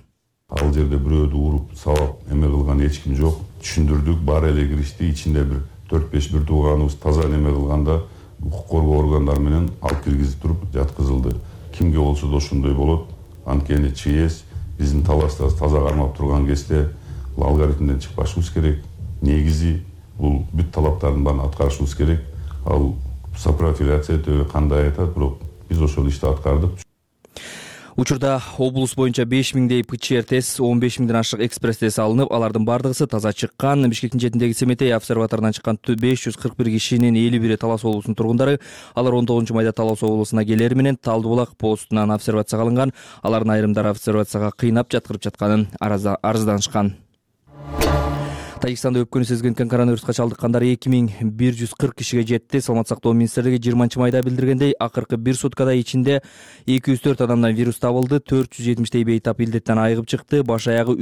Ал жерде бирөөдү уруп сабап эме кылган эч ким жок. Түшүндүрдүк, бар эле киришти, ичинде бир 4-5 бир тууганыбыз таза неме кылганда укук коргоо органдары менен алып киргизип туруп жаткызылды. Кимге болсо да ошондой болот. Анткени ЧС биздин Таласта таза кармап турган кезде бул алгоритмден чыкпашыбыз керек. Негизи бул бүт талаптардын баарын аткарышыбыз керек. Ал сопрофиляция өтө кандай айтат, бирок биз ошол ишти аткардык. Учурда облус боюнча 5000дей ПЧР тест, 15000ден ашык экспресс тест алынып, алардын бардыгысы таза чыккан. Бишкектин четиндеги Семетей обсерваторунан чыккан 541 кишинин 51 Талас облусунун тургундары. Алар 19 майда Талас облусуна келери менен Талдыбулак постунан обсервацияга алынган. Алардын айрымдары обсервацияга кыйнап жаткырып жатканын арызданышкан. Тажикстанда өпкөнү сезген коронавируска чалдыккандар 2140 кишиге жетти. Саламаттык сактоо министрлиги 20 майда билдиргендей, акыркы 1 суткада ичинде 204 адамдан вирус табылды, 470 бейтап илдеттен айыгып чыкты. Баш аягы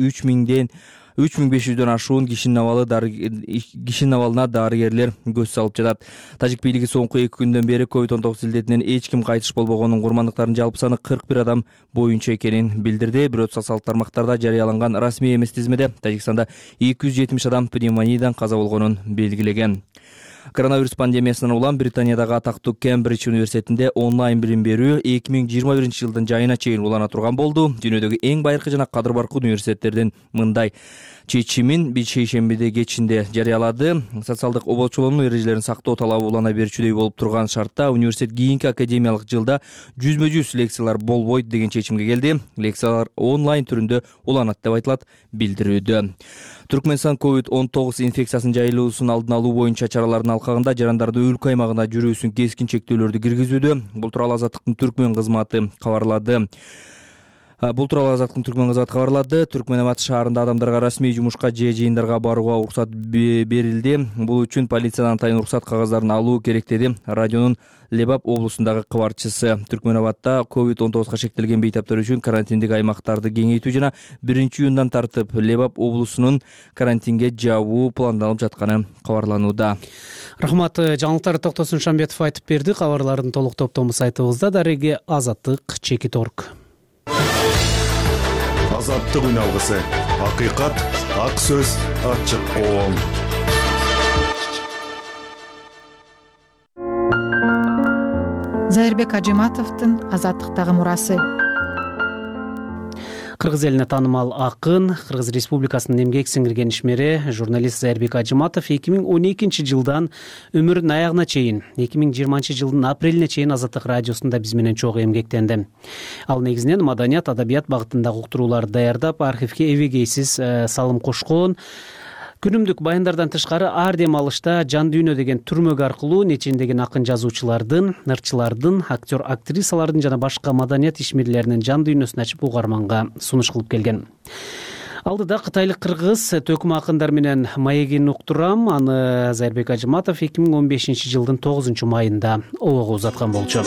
3500дөн ашуун кишинин абалына дарыгерлер көз салып жатат. Тажик бийлиги соңку 2 күндөн бери COVID-19 илдетинен эч ким кайтыш болбогонун, курмандыктардын жалпы саны 41 адам боюнча экенин билдирди. Бирок социалдык тармактарда жарыяланган расмий эмес тизмеде Тажикстанда 270 адам пневмониядан каза болгонун белгилеген. Коронавирус пандемиясынан улам Британиядагы атактуу Кембридж университетинде онлайн билим берүү 2021 жылдын жайына чейин улана турган болду. Дүйнөдөгү эң байыркы жана кадыр баркы университеттердин мындай чечимин шейшембиде кечинде жарыялады. Социалдык обочулоонун эрежелерин сактоо талабы улана берчүдөй болуп турган шартта университет кийинки академиялык жылда жүзмө-жүз лекциялар болбойт деген чечимге келди. Лекциялар онлайн түрүндө уланат деп айтылат билдирүүдө. Түркмөнстан COVID-19 инфекциясынын жайылуусун алдын алуу боюнча чаралардын алкагында жарандарды өлкө аймагына жүрүүсүн кескин чектөөлөрдү киргизүүдө. Бул тууралуу Азаттыктын Түркмөн кызматы кабарлады. Түркмөнабад шаарында адамдарга расмий жумушка же жыйындарга барууга уруксат берилди. Бул үчүн полициядан атайын уруксат кагаздарын алуу керек деди радионун Лебап облусундагы кабарчысы. Түркмөнабадда COVID-19 шектелген бейтаптар үчүн карантиндик аймактарды кеңейтүү жана 1-июндан тартып Лебап облусунун карантинге жабуу пландалып жатканы кабарланууда. Рахмат, жаңылыктарды Токтосун Шамбетов айтып берди. Кабарлардын толук топтому сайтыбызда. Дареги Азаттык.org. азаттык үн алгысы. Акыйкат, ак сөз, ачык коом. Зайырбек Ажиматовдун азаттыктагы мурасы. Кыргыз элине таанымал акын, Кыргыз Республикасынын эмгек сиңирген ишмери, журналист Зайырбек Ажиматов 2012 жылдан өмүрүнүн аягына чейин 2020 жылдын апрелине чейин Азаттык радиосунда биз менен чогуу эмгектенди. Ал негизинен маданият, адабият багытындагы уктурууларды даярдап, архивге эбегейсиз салым кошкон. Күнүмдүк баяндардан тышкары ар дем алышта Жан дүйнө деген түрмөк аркылуу нечендеген акын жазуучулардын, ырчылардын, актер актрисалардын жана башка маданият ишмерлеринин жан дүйнөсүн ачып угарманга сунуш кылып келген. Алдыда кытайлык кыргыз төкүм акындар менен маегин уктурам. Аны Зайырбек Ажиматов 2015 жылдын 9 майында обого узаткан болчу.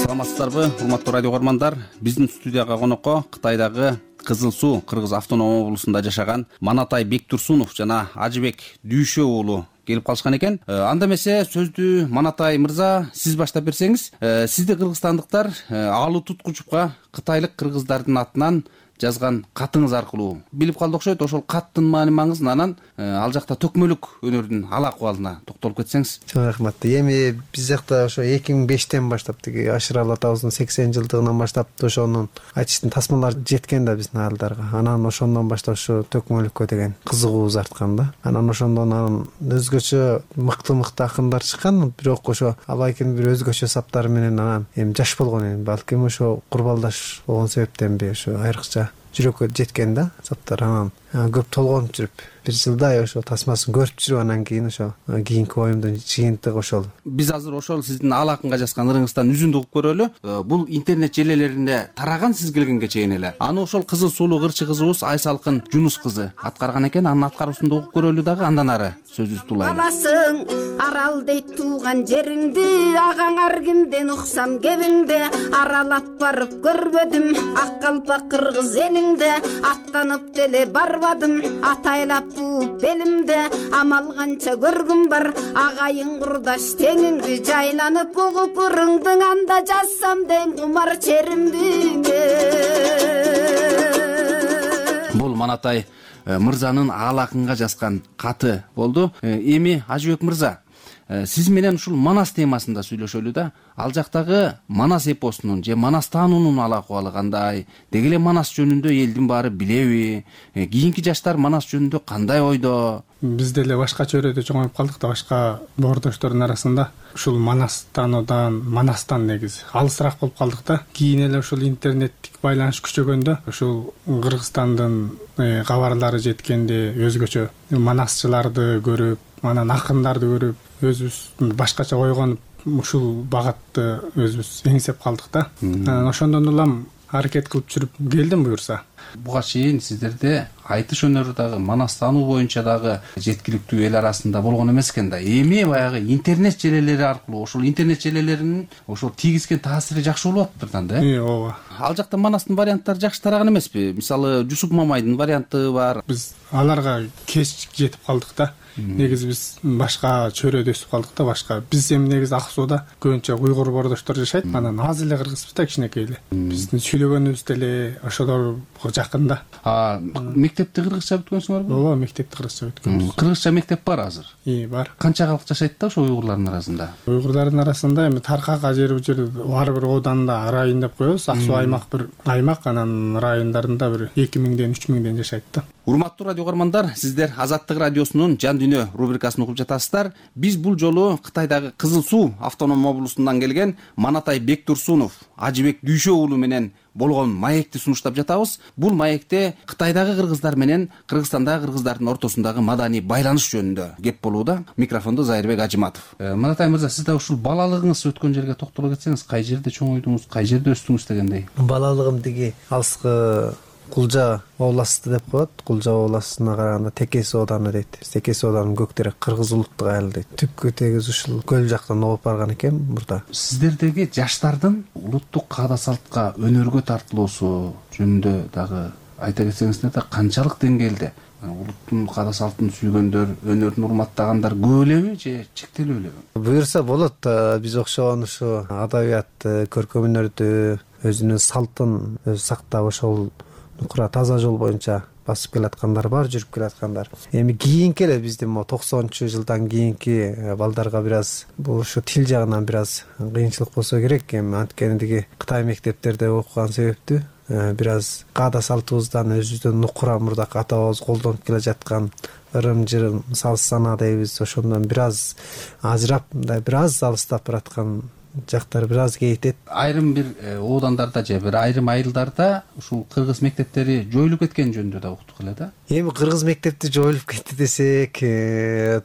Саламатсыздарбы, урматтуу радио угармандар? Биздин студияга конокко Кытайдагы Кызыл Суу Кыргыз автоном облусунда жашаган Манатай Бектурсунов жана Ажыбек Дүйшө уулу келип калышкан экен. Анда эмесе сөздү Манатай мырза сиз баштап берсеңиз, сизди кыргызстандыктар Алуу Туткучупка кытайлык кыргыздардын атынан жазган катыңыз аркылуу билип калды окшойт. Ошол каттын маани-маңызын, анан ал жакта төкмөлүк өнөрдүн ал акыбалына токтолуп кетсеңиз. Чоң рахмат. Эми биз жакта ошо 2005-тен баштап тиги Ашыралы атабыздын 80 жылдыгынан баштап ошонун айтыштын тасмалары жеткен да биздин айылдарга. Анан ошондон баштап ошо төкмөлүккө деген кызыгуубуз арткан да. Анан ошондон өзгөчө мыкты акындар чыккан, бирок ошо Абайкин бир өзгөчө саптары менен анан эми жаш болгон эми балким ошо курбалдаш болгон себептенби ошо айрыкча жүрөккө жеткен да саптар. Анан көп толгонуп жүрүп бир жылдай ошо тасмасын көрүп жүрүп анан кийин ошо кийинки оюмдун жыйынтыгы ошол. Биз азыр ошол сиздин ал акынга жазган ырыңыздан үзүндү угуп көрөлү. Бул интернет желелеринде тараган сиз келгенге чейин эле. Аны ошол кызыл суулуу кырчы кызыбыз Айсалкын Жунус кызы аткарган экен. Анын аткаруусунда угуп көрөлү дагы, андан ары сөзүбүздү улайлы. Аласың арал дейт тууган жериңди, агаң ар кимден уксам кебиңди, аралап барып көрбөдүм ак калпак кыргыз элиңди, аттанып деле барбадым атайлап бууп белимде, амал канча көргүм бар агайың курдаш теңиңди, жайланып угуп ырыңдың анда жазсам дең кумар черимди. Бул Манатай мырзанын ал акынга жазган каты болду. Эми Ажыбек мырза, сиз менен ушул Манас темасында сүйлөшөлү да. Ал жактагы Манас эпосунун же Манас таануунун ал акыбалы кандай? Деги эле Манас жөнүндө элдин баары билеби? Кийинки жаштар Манас жөнүндө кандай ойдо? Биз деле башка чөйрөдө чоңоюп калдык да, башка боордоштордун арасында ушул Манас таануудан, Манастан негизи алысыраак болуп калдык да. Кийин эле ушул интернеттик байланыш күчөгөндө ушул Кыргызстандын кабарлары жеткенде өзгөчө манасчыларды көрүп, анан акындарды көрүп, өзүбүз башкача ойгонуп ушул багатты өзүбүз эңсеп калдык да. Анан ошондон улам аракет кылып жүрүп келдим буюрса. Буга чейин сиздерде айтыш өнөрү дагы, Манас таануу боюнча дагы жеткиликтүү эл арасында болгон эмес экен да. Эми баягы интернет желелери аркылуу ошол интернет желелеринин ошол тийгизген таасири жакшы болуп атыптыр да. Ооба. Ал жакта Манастын варианттары жакшы тараган эмеспи? Мисалы Жусуп Мамайдын варианты бар. Биз аларга кеч жетип калдык да. Негизи биз башка чөйрөдө өсүп калдык да, башка. Биз эми негизи Ак Сууда көбүнчө уйгур боордоштор жашайт. Анан аз эле кыргызбыз да, кичинекей эле. Биздин сүйлөгөнүбүз деле ошолорго жакын да. Мектепти кыргызча бүткөнсүңөрбү? Ооба, мектепти кыргызча бүткөнбүз. Кыргызча мектеп бар азыр? Бар. Канча калк жашайт да ошо уйгурлардын арасында? Уйгурлардын арасында эми таркак ажер ар бир ооданда район деп коебуз. Ак Суу аймак бир аймак, анан райондарында бир 2000ден 3000ден жашайт да. Урматтуу радио угармандар, сиздер Азаттык радиосунун Жан дүйнө рубрикасын угуп жатасыздар. Биз бул жолу Кытайдагы Кызыл Суу автоном облусунан келген Манатай Бектурсунов, Ажыбек Дүйшө уулу менен болгон маекти сунуштап жатабыз. Бул маекте Кытайдагы кыргыздар менен Кыргызстандагы кыргыздардын ортосундагы маданий байланыш жөнүндө кеп болууда. Микрофондо Зайырбек Ажиматов. Манатай мырза, сиз да ушул балалыгыңыз өткөн жерге токтоло кетсеңиз, кай жерде чоңойдуңуз, кай жерде өстүңүз дегендей? Балалыгым тиги алыскы Кулжа областы деп коет. Кулжа областына караганда Текес ооданы дейт. Текес ооданын көктөрү Кыргыз улуттук айыл дейт. Түпкү тегиз ушул көл жактан оогуп барган экен мурда. Сиздердеги жаштардын улуттук каада салтка, өнөргө тартылуусу жөнүндө дагы айта кетсеңиздер да канчалык деңгээлде улуттун каада салтын сүйгөндөр, өнөрүн урматтагандар көп элеби же чектелүү элеби? Буюрса болот. Биз окшогон ушу адабиятты, көркөм өнөрдү, өзүнүн салтын сактап ошол нукура таза жол боюнча басып келаткандар бар, жүрүп келаткандар. Эми кийинки эле биздин могу 90-жылдан кийинки балдарга бир аз бул ушу тил жагынан бир аз кыйынчылык болсо керек. Эми анткени Кытай мектептерде окуган себептүү бир аз каада салтыбыздан өзүбүздөн нукура мурдак ата бабабыз колдонуп келе жаткан ырым-жырым, салт санаа дейбиз, ошондон бир аз ажырап, мындай бир аз алыстап бараткан жактар бир аз кейтет. Айрым бир оодандарда же бир айрым айылдарда ушул кыргыз мектептери жоюлуп кеткен жөнүндө да уктук эле да. Эми кыргыз мектепти жоюлуп кетти десек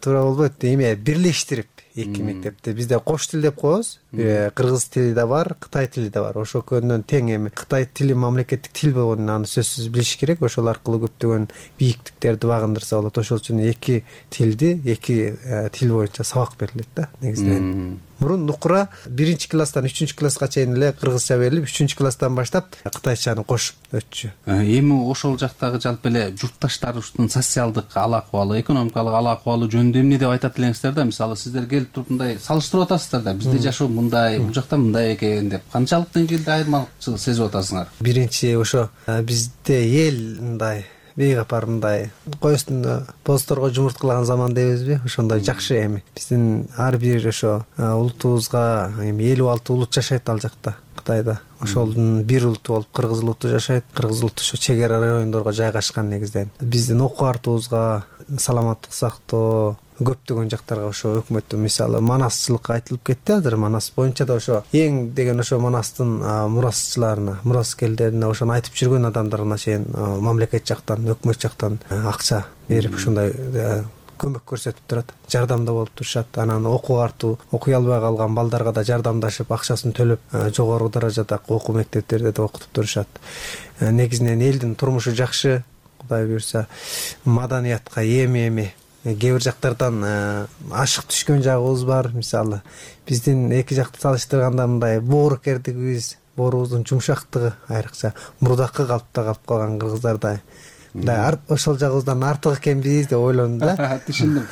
туура болбойт. Эми бирлештирип эки мектепти бизде кош тил деп коебуз. Кыргыз тили да бар, Кытай тили да бар. Ошол көндөн тең. Эми Кытай тили мамлекеттик тил болгонун аны сөзсүз билиш керек. Ошол аркылуу көптөгөн бийиктиктерди багындырса болот. Ошол үчүн эки тилди, эки тил боюнча сабак берилет да негизинен. Мурун нукура 1-класстан 3-класска чейин эле кыргызча берилип, 3-класстан баштап кытайчаны кошуп өтчү. Эми ошол жактагы жалпы эле журтташтарыбыздын социалдык ал акыбалы, экономикалык ал акыбалы жөнүндө эмне деп айтат элеңиздер да? Мисалы сиздер келип туруп мындай салыштырып атасыздар да, бизде жашоо мындай, бул жакта мындай экен деп. Канчалык деңгээлде айырмачылык сезип атасыңар? Биринчи ошо бизде эл мындай бейгапар мындай кой үстүндө боздорго жумурткалаган заман дейбизби? Ошондой жакшы. Эми биздин ар бир ошо улутубузга эми 56 улут жашайт ал жакта Кытайда. Ошолдун бир улуту болуп кыргыз улуту жашайт. Кыргыз улуту ошо чек ара райондорго жайгашкан негизден. Биздин окуу артыбызга, саламаттык сактоо, көптөгөн жактарга ошо өкмөттүн мисалы манасчылык айтылып кетти. Азыр манас боюнча да ошо эң деген ошо манастын мурасчыларына, мураскерлерине ошону айтып жүргөн адамдарына чейин мамлекет жактан, өкмөт жактан акча берип ошондой көмөк көрсөтүп турат, жардамда болуп турушат. Анан окуу артуу, окуй албай калган балдарга да жардамдашып, акчасын төлөп, жогору даражадагы окуу мектептерде да окутуп турушат. Негизинен элдин турмушу жакшы, Кудай буйрса, маданиятка эми кээ бир жактардан ашык түшкөн жагыбыз бар. Мисалы биздин эки жакты салыштырганда мындай боорукердигибиз, боорубуздун жумшактыгы айрыкча мурдакы калыпта калып калган кыргыздардай мындай ошол жагыбыздан артык экенбиз деп ойлондум да. Түшүндүм.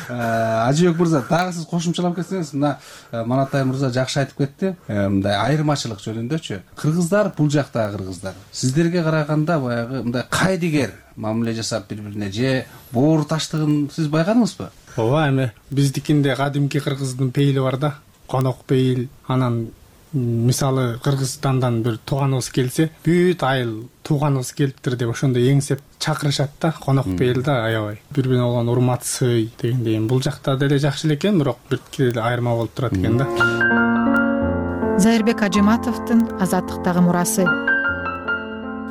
Ажыбек мырза, дагы сиз кошумчалап кетсеңиз, мына Манатай мырза жакшы айтып кетти. Мындай айырмачылык жөнүндөчү. Кыргыздар, бул жактагы кыргыздар сиздерге караганда баягы мындай кайдыгер мамиле жасап бири-бирине же боор таштыгын сиз байкадыңызбы? Ооба, эми биздикинде кадимки кыргыздын пейили бар да, конок пейил. Анан мисалы Кыргызстандан бир тууганыбыз келсе, бүт айыл тууганыбыз келиптир деп ошондой эңсеп чакырышат да, конок пейил да, аябай. Бири-бирине болгон урмат, сый дегендей. Бул жакта деле жакшы эле экен, бирок бир деле айырма болуп турат экен да. Зайырбек Ажыматовдун Азаттыктагы мурасы.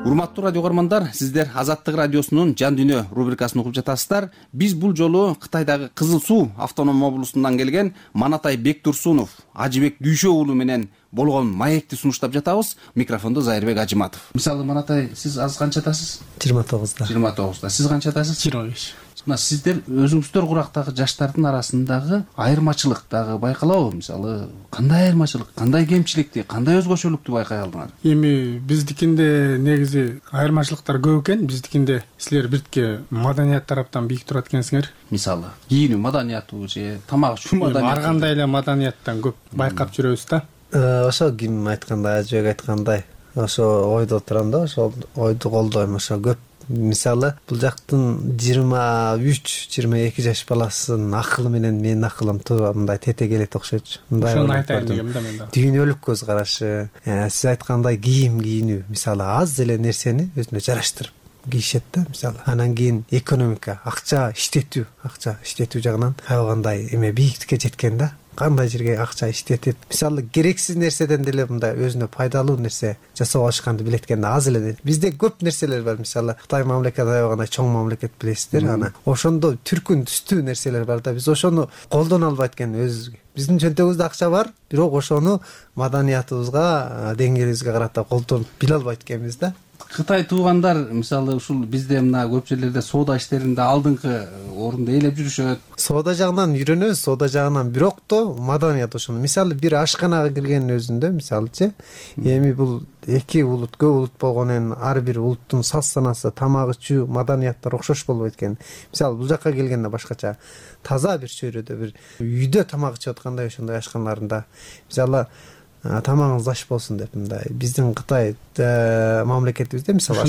Урматтуу радио көрөрмандар, сиздер Азаттык радиосунун Жан дүйнө рубрикасын угуп жатасыздар. Биз бул жолу Кытайдагы Кызыл Суу автоном облусунан келген Манатай Бектурсунов, Ажыбек Дүйшө уулу менен болгон маекти сунуштап жатабыз. Микрофондо Зайырбек Ажыматов. Мисалы Манатай, сиз азыр канчадасыз? 29да. 29да. Сиз канчадасыз? 25. Мына сиздер өзүңүздөр курактагы жаштардын арасындагы айырмачылык дагы байкалабы? Мисалы кандай айырмачылык, кандай кемчиликти, кандай өзгөчөлүктү байкай алдыңар? Эми биздикинде негизи айырмачылыктар көп экен. Биздикинде силер биртке маданият тараптан бийик турат экенсиңер. Мисалы кийинүү маданияту же тамак ичүү маданият. Ар кандай эле маданияттан көп байкап жүрөбүз да. Ошо ким айткандай, Ажыбек айткандай, ошо ойдо турам да, ошол ойду колдойм. Ошо көп мисалы бул жактын 23-22 жаш баласынын акылы менен менин акылым туура мындай тете келет окшойчу. Ошону айтайын дегем да мен да. Дүйнөлүк көз карашы, сиз айткандай кийим кийинүү, мисалы аз эле нерсени өзүнө жараштырып кийишет да, мисалы. Анан кийин экономика, акча иштетүү жагынан аябай кандай эме бийиктикке жеткен да. Кандай жерге акча иштетет. Мисалы керексиз нерседен деле мындай өзүнө пайдалуу нерсе жасап алышканды билет экен да, аз эле. Бизде көп нерселер бар, мисалы Кытай мамлекети аябай чоң мамлекет билесиздер, ана ошондо түркүн түстүү нерселер бар да. Биз ошону колдоно албайт экен өзүбүзгө. Биздин чөнтөгүбүздө акча бар, бирок ошону маданиятыбызга, деңгээлибизге карата колдонуп биле албайт экенбиз да. Кытай туугандар мисалы ушул бизде мына көп жерлерде соода иштеринде алдыңкы орунду ээлеп жүрүшөт. Соода жагынан үйрөнөбүз, соода жагынан, бирок то маданият ошону. Мисалы бир ашканага киргендин өзүндө мисалычы, эми бул эки улут көп улут болгондон кийин ар бир улуттун саз санаасы, тамак ичүү, маданияттары окшош болбойт экен. Мисалы бул жака келгенде башкача таза бир чөйрөдө бир үйдө тамак ичип аткандай ошондой ашканаларында мисалы тамагыңыз аш болсун деп мындай биздин Кытай мамлекетибизде мисалы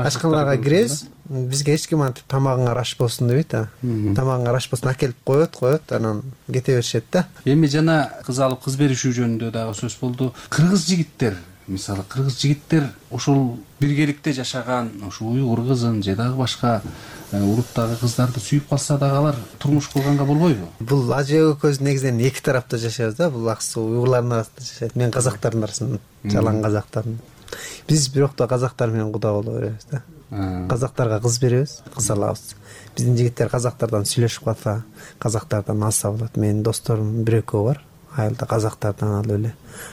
ашканаларга киребиз, бизге эч ким антип тамагыңар аш болсун дебейт да. Тамагыңар аш болсун акелип коет, анан кете беришет да. Эми жана кыз алып кыз беришүү жөнүндө дагы сөз болду. Кыргыз жигиттер, мисалы кыргыз жигиттер ошол биргеликте жашаган ушу уйгур кызын же дагы башка улуттагы кыздарды сүйүп калса дагы алар турмуш курганга болбойбу? Бул ажы экөөбүз негизинен эки тарапта жашайбыз да. Бул аксы уйгурлардын арасында жашайт, мен казактардын арасында, жалаң казактардын. Биз бирок да казактар менен куда боло беребиз да. Казактарга кыз беребиз, кыз алабыз. Биздин жигиттер казактардан сүйлөшүп калса, казактардан алса болот. Менин досторум бир экөө бар. Айылда казактардан алып эле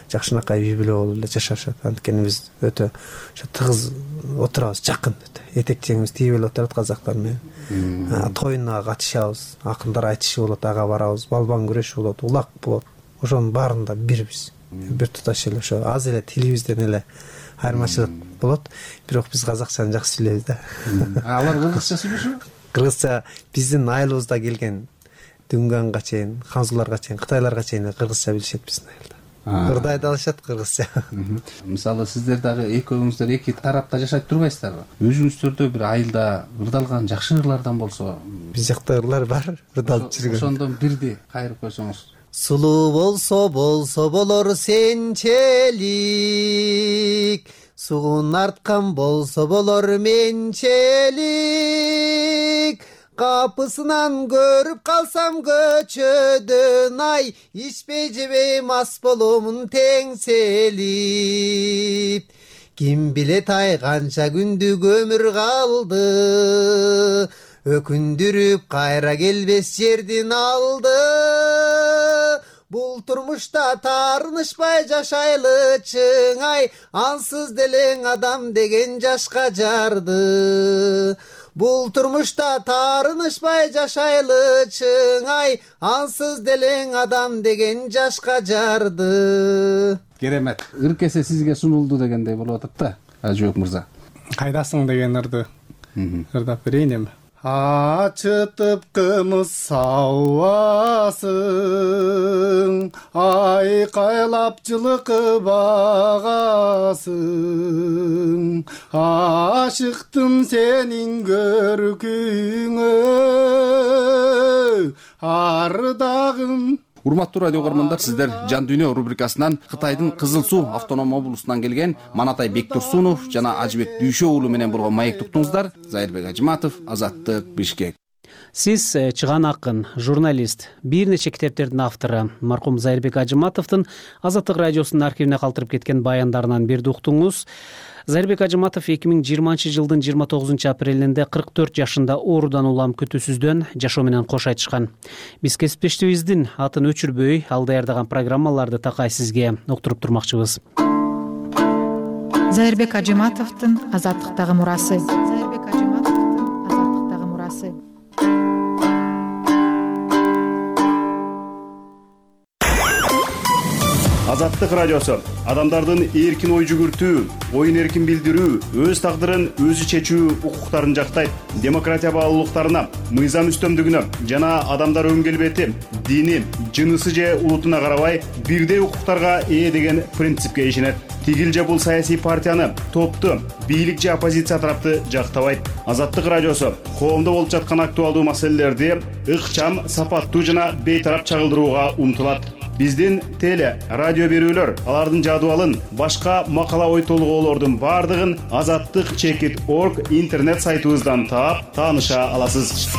жакшынакай үй бүлө болуп эле жашашат. Анткени биз өтө ошо тыгыз отурабыз, жакын өтө. Этек жеңибиз тийип эле отурат казактар менен. Тоюна катышабыз, акындар айтышы болот, ага барабыз, балбан күрөшү болот, улак болот. Ошонун баарында бирбиз. Бир туташ эле ошо аз эле тилибизден эле айырмачылык болот. Бирок биз казакчаны жакшы сүйлөйбүз да. Алар кыргызча сүйлөшөбү? Кыргызча биздин айылыбызда келген Дүнганга чейин, Ханзуларга чейин, Кытайларга чейин кыргызча билишет биздин айылда. Кырдай да алышат кыргызча. Мисалы сиздер дагы экөөңүздөр эки тарапта жашайт турбайсыздарбы? Өзүңүздөрдө бир айылда ырдалган жакшы ырлардан болсо, биз жакта ырлар бар, ырдалып жүргөн. Ошондон бирди кайрып койсоңуз. Сулуу болсо болор сенчелик, суун арткан болсо болор менчелик. Капысынан көрүп калсам көчөдөн ай, ичпей жебей мас боломун теңселип. Ким билет ай канча күндүк өмүр калды, өкүндүрүп кайра келбес жердин алды. Бул турмушта таарынышпай жашайлы чыңай, ансыз делең адам деген жашка жарды. Бул турмушта таарынышпай жашайлы чыңай, ансыз делең адам деген жашка жарды. Керемет. Ыркесе сизге сунулду дегендей болуп атат да, Ажыбек мырза. Кайдасың деген ырды ырдап берейин эми. Ачытып кымыз сауасың, айкайлап жылкы багасың, ашыктым сенин көркүңө, ардагым. Урматтуу радио көрөрмандар, сиздер Жан дүйнө рубрикасынан Кытайдын Кызыл Суу автоном облусунан келген Манатай Бектурсунов жана Ажыбек Дүйшө уулу менен болгон маек туктуңуздар. Зайырбек Ажыматов, Азаттык, Бишкек. Сиз чыган акын, журналист, бир нече китептердин автору маркум Зайырбек Ажыматовдун Азаттык радиосунун архивине калтырып кеткен баяндарынан бирди уктуңуз. Зайырбек Ажыматов 2020-жылдын 29 апрелинде 44 жашында оорудан улам күтүүсүздөн жашоо менен кош айтышкан. Биз кесиптешибиздин атын өчүрбөй ал даярдаган программаларды такай сизге уктуруп турмакчыбыз. Зайырбек Ажыматовдун Азаттыктагы мурасы. Азаттык радиосу адамдардын эркин ой жүгүртүү, оюн эркин билдирүү, өз тагдырын өзү чечүү укуктарын жактайт. Демократия баалуулуктарына, мыйзам үстөмдүгүнө жана адамдар өн келбети, дини, жынысы же улутуна карабай бирдей укуктарга ээ деген принципке ишенет. Тигил же бул саясий партияны, топту, бийлик же оппозиция тарапты жактабайт. Азаттык радиосу коомдо болуп жаткан актуалдуу маселелерди ыкчам, сапаттуу жана бейтарап чагылдырууга умтулат. Биздин теле, радио берүүлөр, алардын жадыбалын, башка макала ой толгоолордун бардыгын azattyk.org интернет сайтыбыздан таап, тааныша аласыз.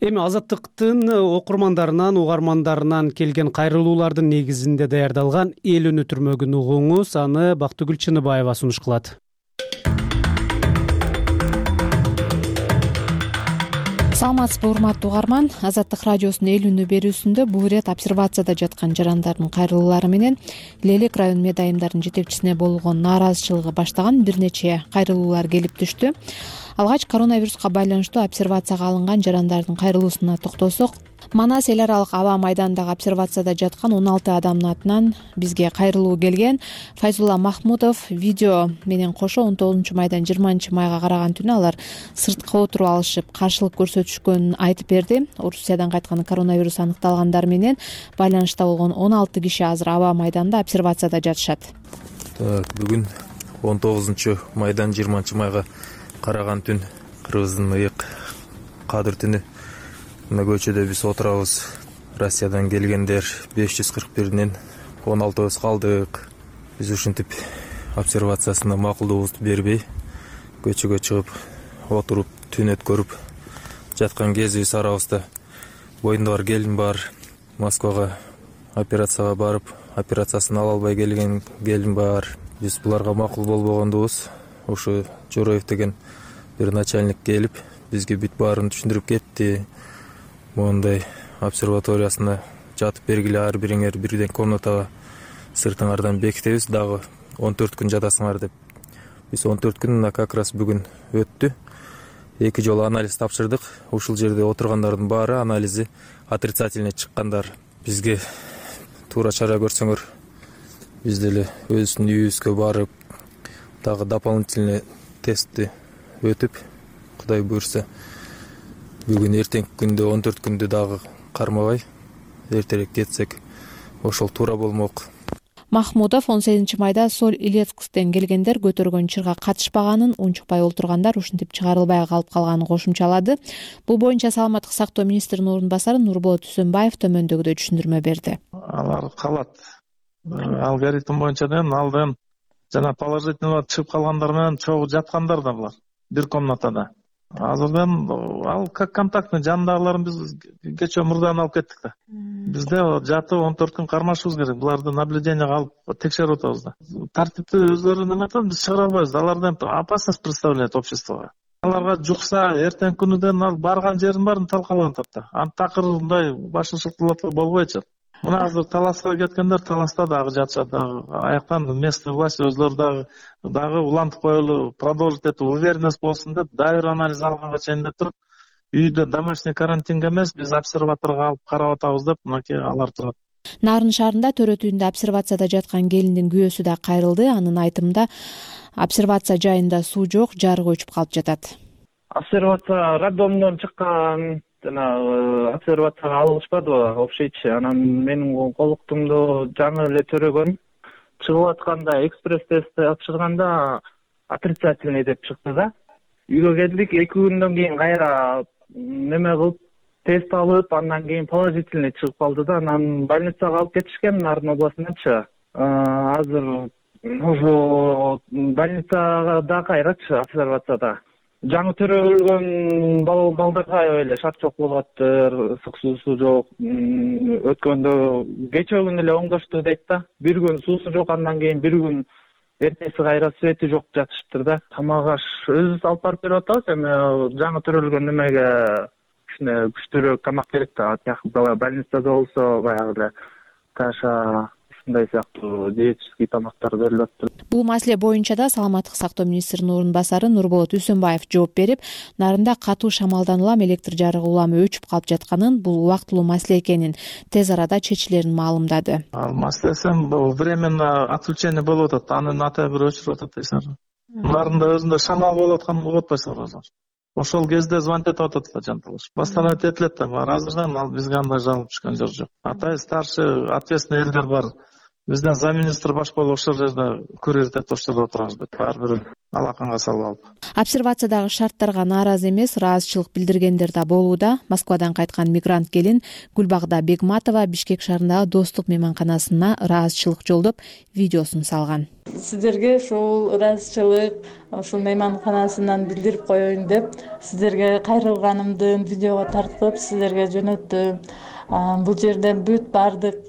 Эми Азаттыктын окурмандарынан, угармандарынан келген кайрылуулардын негизинде даярдалган эл үнү түрмөгүн угуңуз, аны Бактыгүл Чыныбаева сунуш кылат. Саламатсызбы, урматтуу угарман. Азаттык радиосунун эл үнү берүүсүндө бул ирет обсервацияда жаткан жарандардын кайрылуулары менен Лелек район медайымдардын жетекчисине болгон нааразычылыгы баштаган бир нече кайрылуулар келип түштү. Алгач коронавируска байланыштуу обсервацияга алынган жарандардын кайрылуусуна токтолсок, Манас эл аралык аба майданындагы обсервацияда жаткан 16 адамдын атынан бизге кайрылуу келген. Файзулла Махмудов видео менен кошо 19 майдан 20 майга караган түнү алар сыртка отуруп алышып каршылык көрсөтүшкөнүн айтып берди. Орусиядан кайткан коронавирус аныкталгандар менен байланышта болгон 16 киши азыр аба майданында обсервацияда жатышат. Бүгүн 19 майдан 20 майга караган түн, Кыргыздын ыйык кадыр түнү. Мына көчөдө биз отурабыз. Россиядан келгендер 541ден 16 калдык. Биз ушинтип обсервациясына макулдугубузду бербей көчөгө чыгып отуруп түн өткөрүп жаткан кезибиз арабызда. Боюнда бар келин бар. Москвага операцияга барып, операциясын ала албай келген келин бар. Биз буларга макул болбогондубуз. Ушу Жороев деген бир начальник келип, бизге бүт баарын түшүндүрүп кетти. Мондай обсерваториясына жатып бергиле, ар бириңер бирден комнатага сыртыңардан бекитебиз, дагы 14 күн жатасыңар деп. Биз 14 күн как раз бүгүн өттү. 2 жолу анализ тапшырдык. Ушул жерде отургандардын баары анализи отрицательный чыккандар. Бизге туура чара көрсөңөр, биз деле өзүбүздүн үйүбүзгө барып, дагы дополнительный тестти өтүп, Кудай буйрса, бүгүн эртеңки күндө 14 күндү дагы кармабай эртерээк кетсек, ошол туура болмок. Махмудов 18 майда Соль Илецктен келгендер көтөргөн чырга катышпаганын, унчукпай олтургандар ушинтип чыгарылбай калып калганын кошумчалады. Бул боюнча саламаттык сактоо министринин орун басары Нурболот Үсөнбаев төмөндөгүдөй түшүндүрмө берди. Алар калат. Алгоритм боюнча алдын жана положительно чыгып калгандар менен чогуу жаткандар да булар бир комнатада. Азырдан ал как контактный жанындагыларын биз кечээ мурдан алып кеттик да. Бизде жатып 14 күн кармашыбыз керек. Буларды наблюдениеге алып текшерип атабыз да. Тартипти өзлөрү неме атат, биз чыгара албайбыз. Алардан опасность представляет обществого. Аларга жукса эртең күнүдөн ал барган жерин баарын талкалап атат да. Антакыр мындай башын шылтылатып болбойчу. Мына азыр Таласка кеткендер Таласта дагы жатышат. Аяктан местный власть өзлөрү дагы улантып коелу, продолжить этип уверенность болсун деп, дайыр анализ алганга чейин деп туруп, үйдө домашний карантинге эмес, биз обсерваторго алып карап атабыз деп, мынакей алар турат. Нарын шаарында төрөтүүндө обсервацияда жаткан келиндин күйөөсү да кайрылды. Анын айтымында обсервация жайында суу жок, жарык өчүп калып жатат. Обсервация роддомдон чыккан жана обсервацияга алышпадыбы общийчи. Анан менин колуктумду жаңы эле төрөгөн. Чыгып атканда экспресс тест тапшырганда отрицательный деп чыкты да. Үйгө келдик, 2 күндөн кийин кайра неме кылып тест алып, андан кийин положительный чыгып калды да. Анан больницага алып кетишкен Нарын областынчы. Азыр ошо больницада кайрачы обсервацияда. Жаңы төрөлгөн балдарга эле шарт жок болуп атты, суусу жок. Өткөндө кечээ күнү эле оңдошту дейт да. Бир күн суусу жок, андан кийин бир күн эртеси кайра свети жок жатышыптыр да. Тамак аш өзүбүз алып барып берип атабыз. Эми жаңы төрөлгөн немеге кичине күчтүүрөөк тамак керек да. Больницада болсо баягы эле каша ушундай сыяктуу диетический тамактар берилип атты. Бул маселе боюнча да саламаттык сактоо министринин орун басары Нурболот Үсөнбаев жооп берип, Нарында катуу шамалдан улам электр жарыгы уламы өчүп калып жатканын, бул убактылуу маселе экенин, тез арада чечилерин маалымдады. Ал маселесин бул временно отключение болуп атат, анын ата бир өчүрүп атат дейсиңер. Нарында өзүндө шамал болуп атканын угуп атпайсыңар. Ошол кезде звонить этип атат да жанталаш. Восстановить этилет да, азырдан ал бизге андай жалоба түшкөн жок. Атай старший ответственный элдер бар. Бизден замминистр баш болуп ошол жерде күрөзүп ошол жерде отурабыз. Ар бир алаканга салып алып. Обсервациядагы шарттарга нааразы эмес, ыраазычылык билдиргендер да болууда. Москвадан кайткан мигрант келин Гүлбагда Бегматова Бишкек шаарындагы Достук мейманканасына ыраазычылык жолдоп видеосун салган. Сиздерге ушул ыраазычылык ушул мейманканасынан билдирип коеюн деп, сиздерге кайрылганымды видеого тартып, сиздерге жөнөттүм. Бул жерде бүт баардык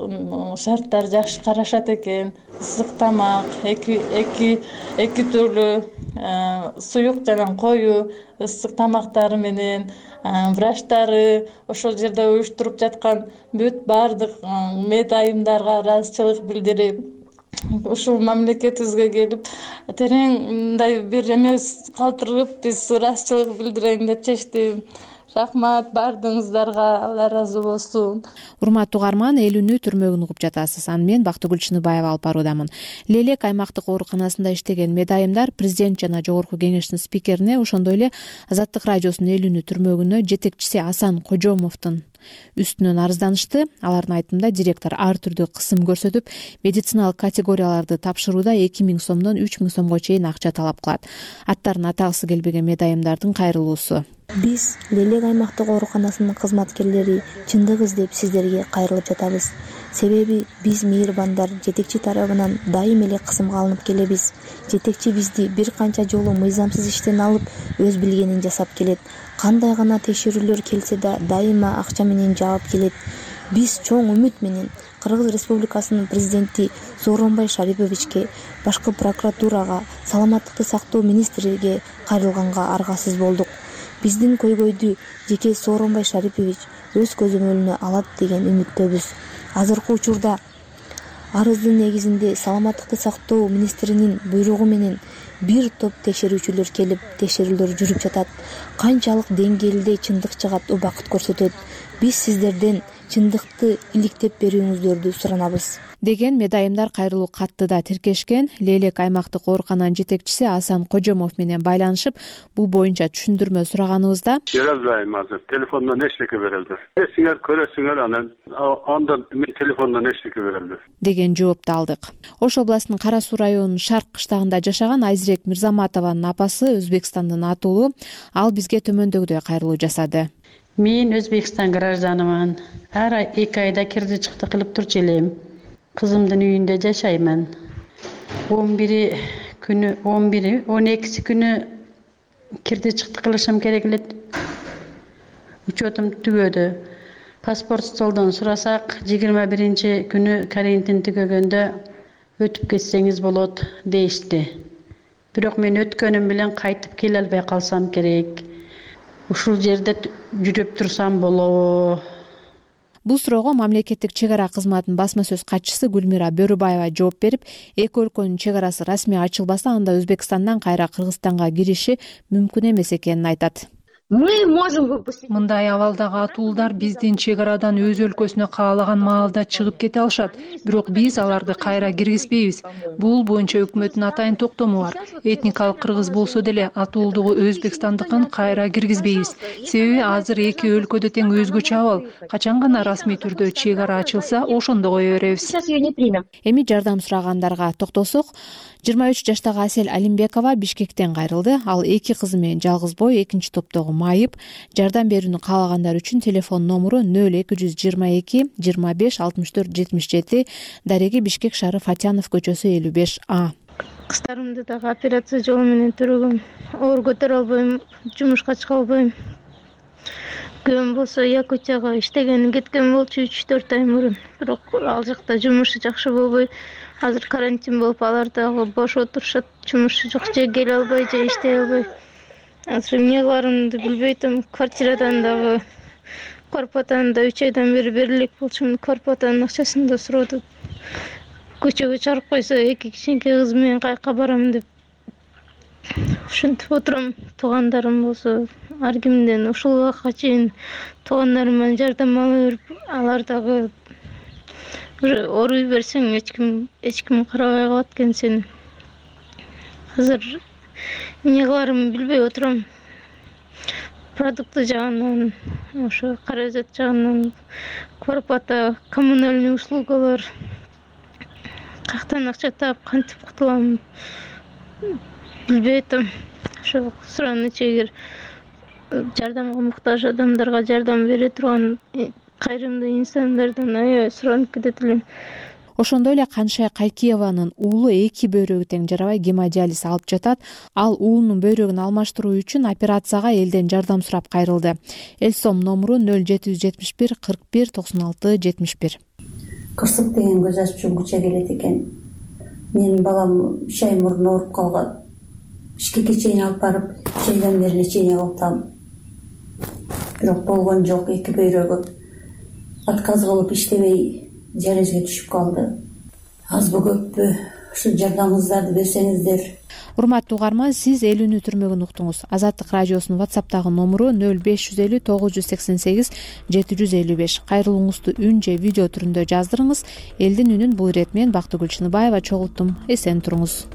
шарттар жакшы карашат экен. Ысык тамак, эки түрлүү суюк жана коюу ысык тамактары менен врачтары ошол жерде уюштуруп жаткан бүт баардык медайымдарга ыраазычылык билдирип, ушул мамлекетибизге келип терең мындай бир эме калтырып, биз ыраазычылык билдирейин деп чечтим. Рахмат баардыгыңыздарга, Алла ыраазы болсун. Урматтуу угарман, эл үнү түрмөгүн угуп жатасыз. Аны мен Бактыгүл Чыныбаева алып баруудамын. Лелек аймактык ооруканасында иштеген медайымдар президент жана жогорку кеңештин спикерине, ошондой эле Азаттык радиосунун эл үнү түрмөгүнө жетекчиси Асан Кожомовдун үстүнөн арызданышты. Алардын айтымында директор ар түрдүү кысым көрсөтүп, медициналык категорияларды тапшырууда 2000 сомдон 3000 сомго чейин акча талап кылат. Аттарын атагысы келбеген медайымдардын кайрылуусу. Биз Лелек аймактык ооруканасынын кызматкерлери чындык издеп сиздерге кайрылып жатабыз. Себеби биз мейирбандар жетекчи тарабынан дайым эле кысымга алынып келебиз. Жетекчи бизди бир канча жолу мыйзамсыз иштен алып, өз билгенин жасап келет. Кандай гана текшерүүлөр келсе да дайыма акча менен жаап келет. Биз чоң үмүт менен Кыргыз Республикасынын президенти Сооронбай Шариповичке, башкы прокуратурага, саламаттыкты сактоо министриге кайрылганга аргасыз болдук. Биздин көйгөйдү жеке Сооронбай Шарипович өз көзөмөлүнө алат деген үмүттөбүз. Азыркы учурда арыздын негизинде саламаттыкты сактоо министринин буйругу менен бир топ текшерүүчүлөр келип, текшерүүлөр жүрүп жатат. Канчалык деңгээлде чындык чыгат, убакыт көрсөтөт. Биз сиздерден чындыкты иликтеп берүүңүздөрдү суранабыз деген медайымдар кайрылуу катты да тиркешкен. Лелек аймактык оорукананын жетекчиси Асан Кожомов менен байланышып, бул боюнча түшүндүрмө сураганыбызда бере албайм азыр. Телефондон эчтеке бере албайм. Сиңер көрөсүңөр, андан мен телефондон эчтеке бере албайм деген жоопту алдык. Ош областынын Кара Суу районунун Шарк кыштагында жашаган Айзирек Мирзаматованын апасы Өзбекстандын атуулу. Ал бизге төмөндөгүдөй кайрылуу жасады. Мен Өзбекстан гражданымын. Ар ай 2 айда кирди чыкты кылып турчу элем. Кызымдын үйүндө жашаймын. 12 күнү кирди чыкты кылышым керек эле. Учетум түгөдү. Паспорт столдон сурасак, 21 күнү карантин түгөгөндө өтүп кетсеңиз болот дейишти. Бирок мен өткөнүм менен кайтып келе албай калсам керек. Ушул жерде жүрүп турсам болобу? Бул суроого мамлекеттик чек ара кызматынын басма сөз катчысы Гүлмира Бөрүбаева жооп берип, эки өлкөнүн чек арасы расмий ачылбаса, анда Өзбекстандан кайра Кыргызстанга кириши мүмкүн эмес экенин айтат. Мындай абалдагы атуулдар биздин чек арадан өз өлкөсүнө каалаган маалда чыгып кете алышат, бирок биз аларды кайра киргизбейбиз. Бул боюнча өкмөттүн атайын токтому бар. Этникалык кыргыз болсо деле атуулдугу Өзбекстандыкын кайра киргизбейбиз. Себеби азыр эки өлкөдө тең өзгөчө абал. Качан гана расмий түрдө чек ара ачылса, ошондо кое беребиз. Эми жардам сурагандарга токтосок, 23 жаштагы Асель Алимбекова Бишкектен кайрылды. Ал эки кызы менен жалгыз бой, экинчи топтогу майып. Жардам берүүнү каалагандар үчүн телефон номуру 0222 25 64 77, дареги Бишкек шаары Фатянов көчөсү 55А. Кыздарымды дагы операция жолу менен төрөгөм. Оор көтөрө албайм, жумушка чыга албайм. Күйөөм болсо Якутияга иштеген кеткен болчу 3-4 ай мурун. Бирок ал жакта жумушу жакшы болбой, азыр карантин болуп, алар дагы бош отурушат. Жумушу жок, же келе албай, же иштей албай. Азыр эмне кыларымды билбей атам. Квартирадан дагы квартплатаны да 3 айдан бери берилек болчумун. Квартплатанын акчасын да сурады. Көчөгө чыгарып койсо, эки кичинекей кыз менен кайка барам деп ушинтип отурам. Туугандарым болсо ар кимден ушул убакка чейин туугандарымдан жардам ала берип, алар дагы ооруй берсең эч ким карабай калат экен сени. Азыр эмне кыларымды билбей отурам. Продукты жагынан, ошо каражат жагынан, квартплата, коммунальный услугалар, каяктан акча таап кантип кутулам билбей атам. Ошо суранычы, эгер жардамга муктаж адамдарга жардам бере турган кайрымдуу инсандардан аябай суранып кетет элем. Ошондой эле Каншай Кайкиеванын уулу эки бөйрөгү тең жарабай гемодиализ алып жатат. Ал уулунун бөйрөгүн алмаштыруу үчүн операцияга элден жардам сурап кайрылды. Элсом номуру 0771 41 96 71. Кырсык деген көз ачып күчө келет экен. Менин балам 3 ай мурун ооруп калган. Бишкекке чейин алып барып, чейден лечение кылып атам. Бирок болгон жок, эки бөйрөгү отказ кылып иштебей диализге түшүп калды. Азбы көппү ушу жардамыңыздарды берсеңиздер. урматтуу угарман, сиз эл үнү түрмөгүн уктуңуз. Азаттык радиосунун WhatsApp'тагы номуру 0550 988 755. Кайрылууңузду үн же видео түрүндө жаздырыңыз. Элдин үнүн бул ирет мен Бактыгүл Чыныбаева чогулттум. Эсен туруңуз.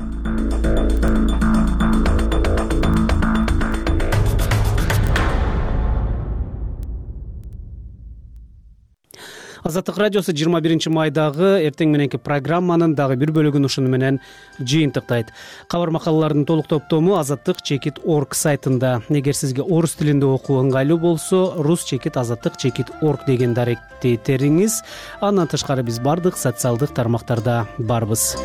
Азаттык радиосу 21 майдагы эртең мененки программанын дагы бир бөлүгүн ушуну менен жыйынтыктайт. Кабар макалалардын толук топтому azattik.org сайтында. Эгер сизге орус тилинде окуу ыңгайлуу болсо, rus.azattik.org деген даректи териңиз. Андан тышкары биз бардык социалдык тармактарда барбыз.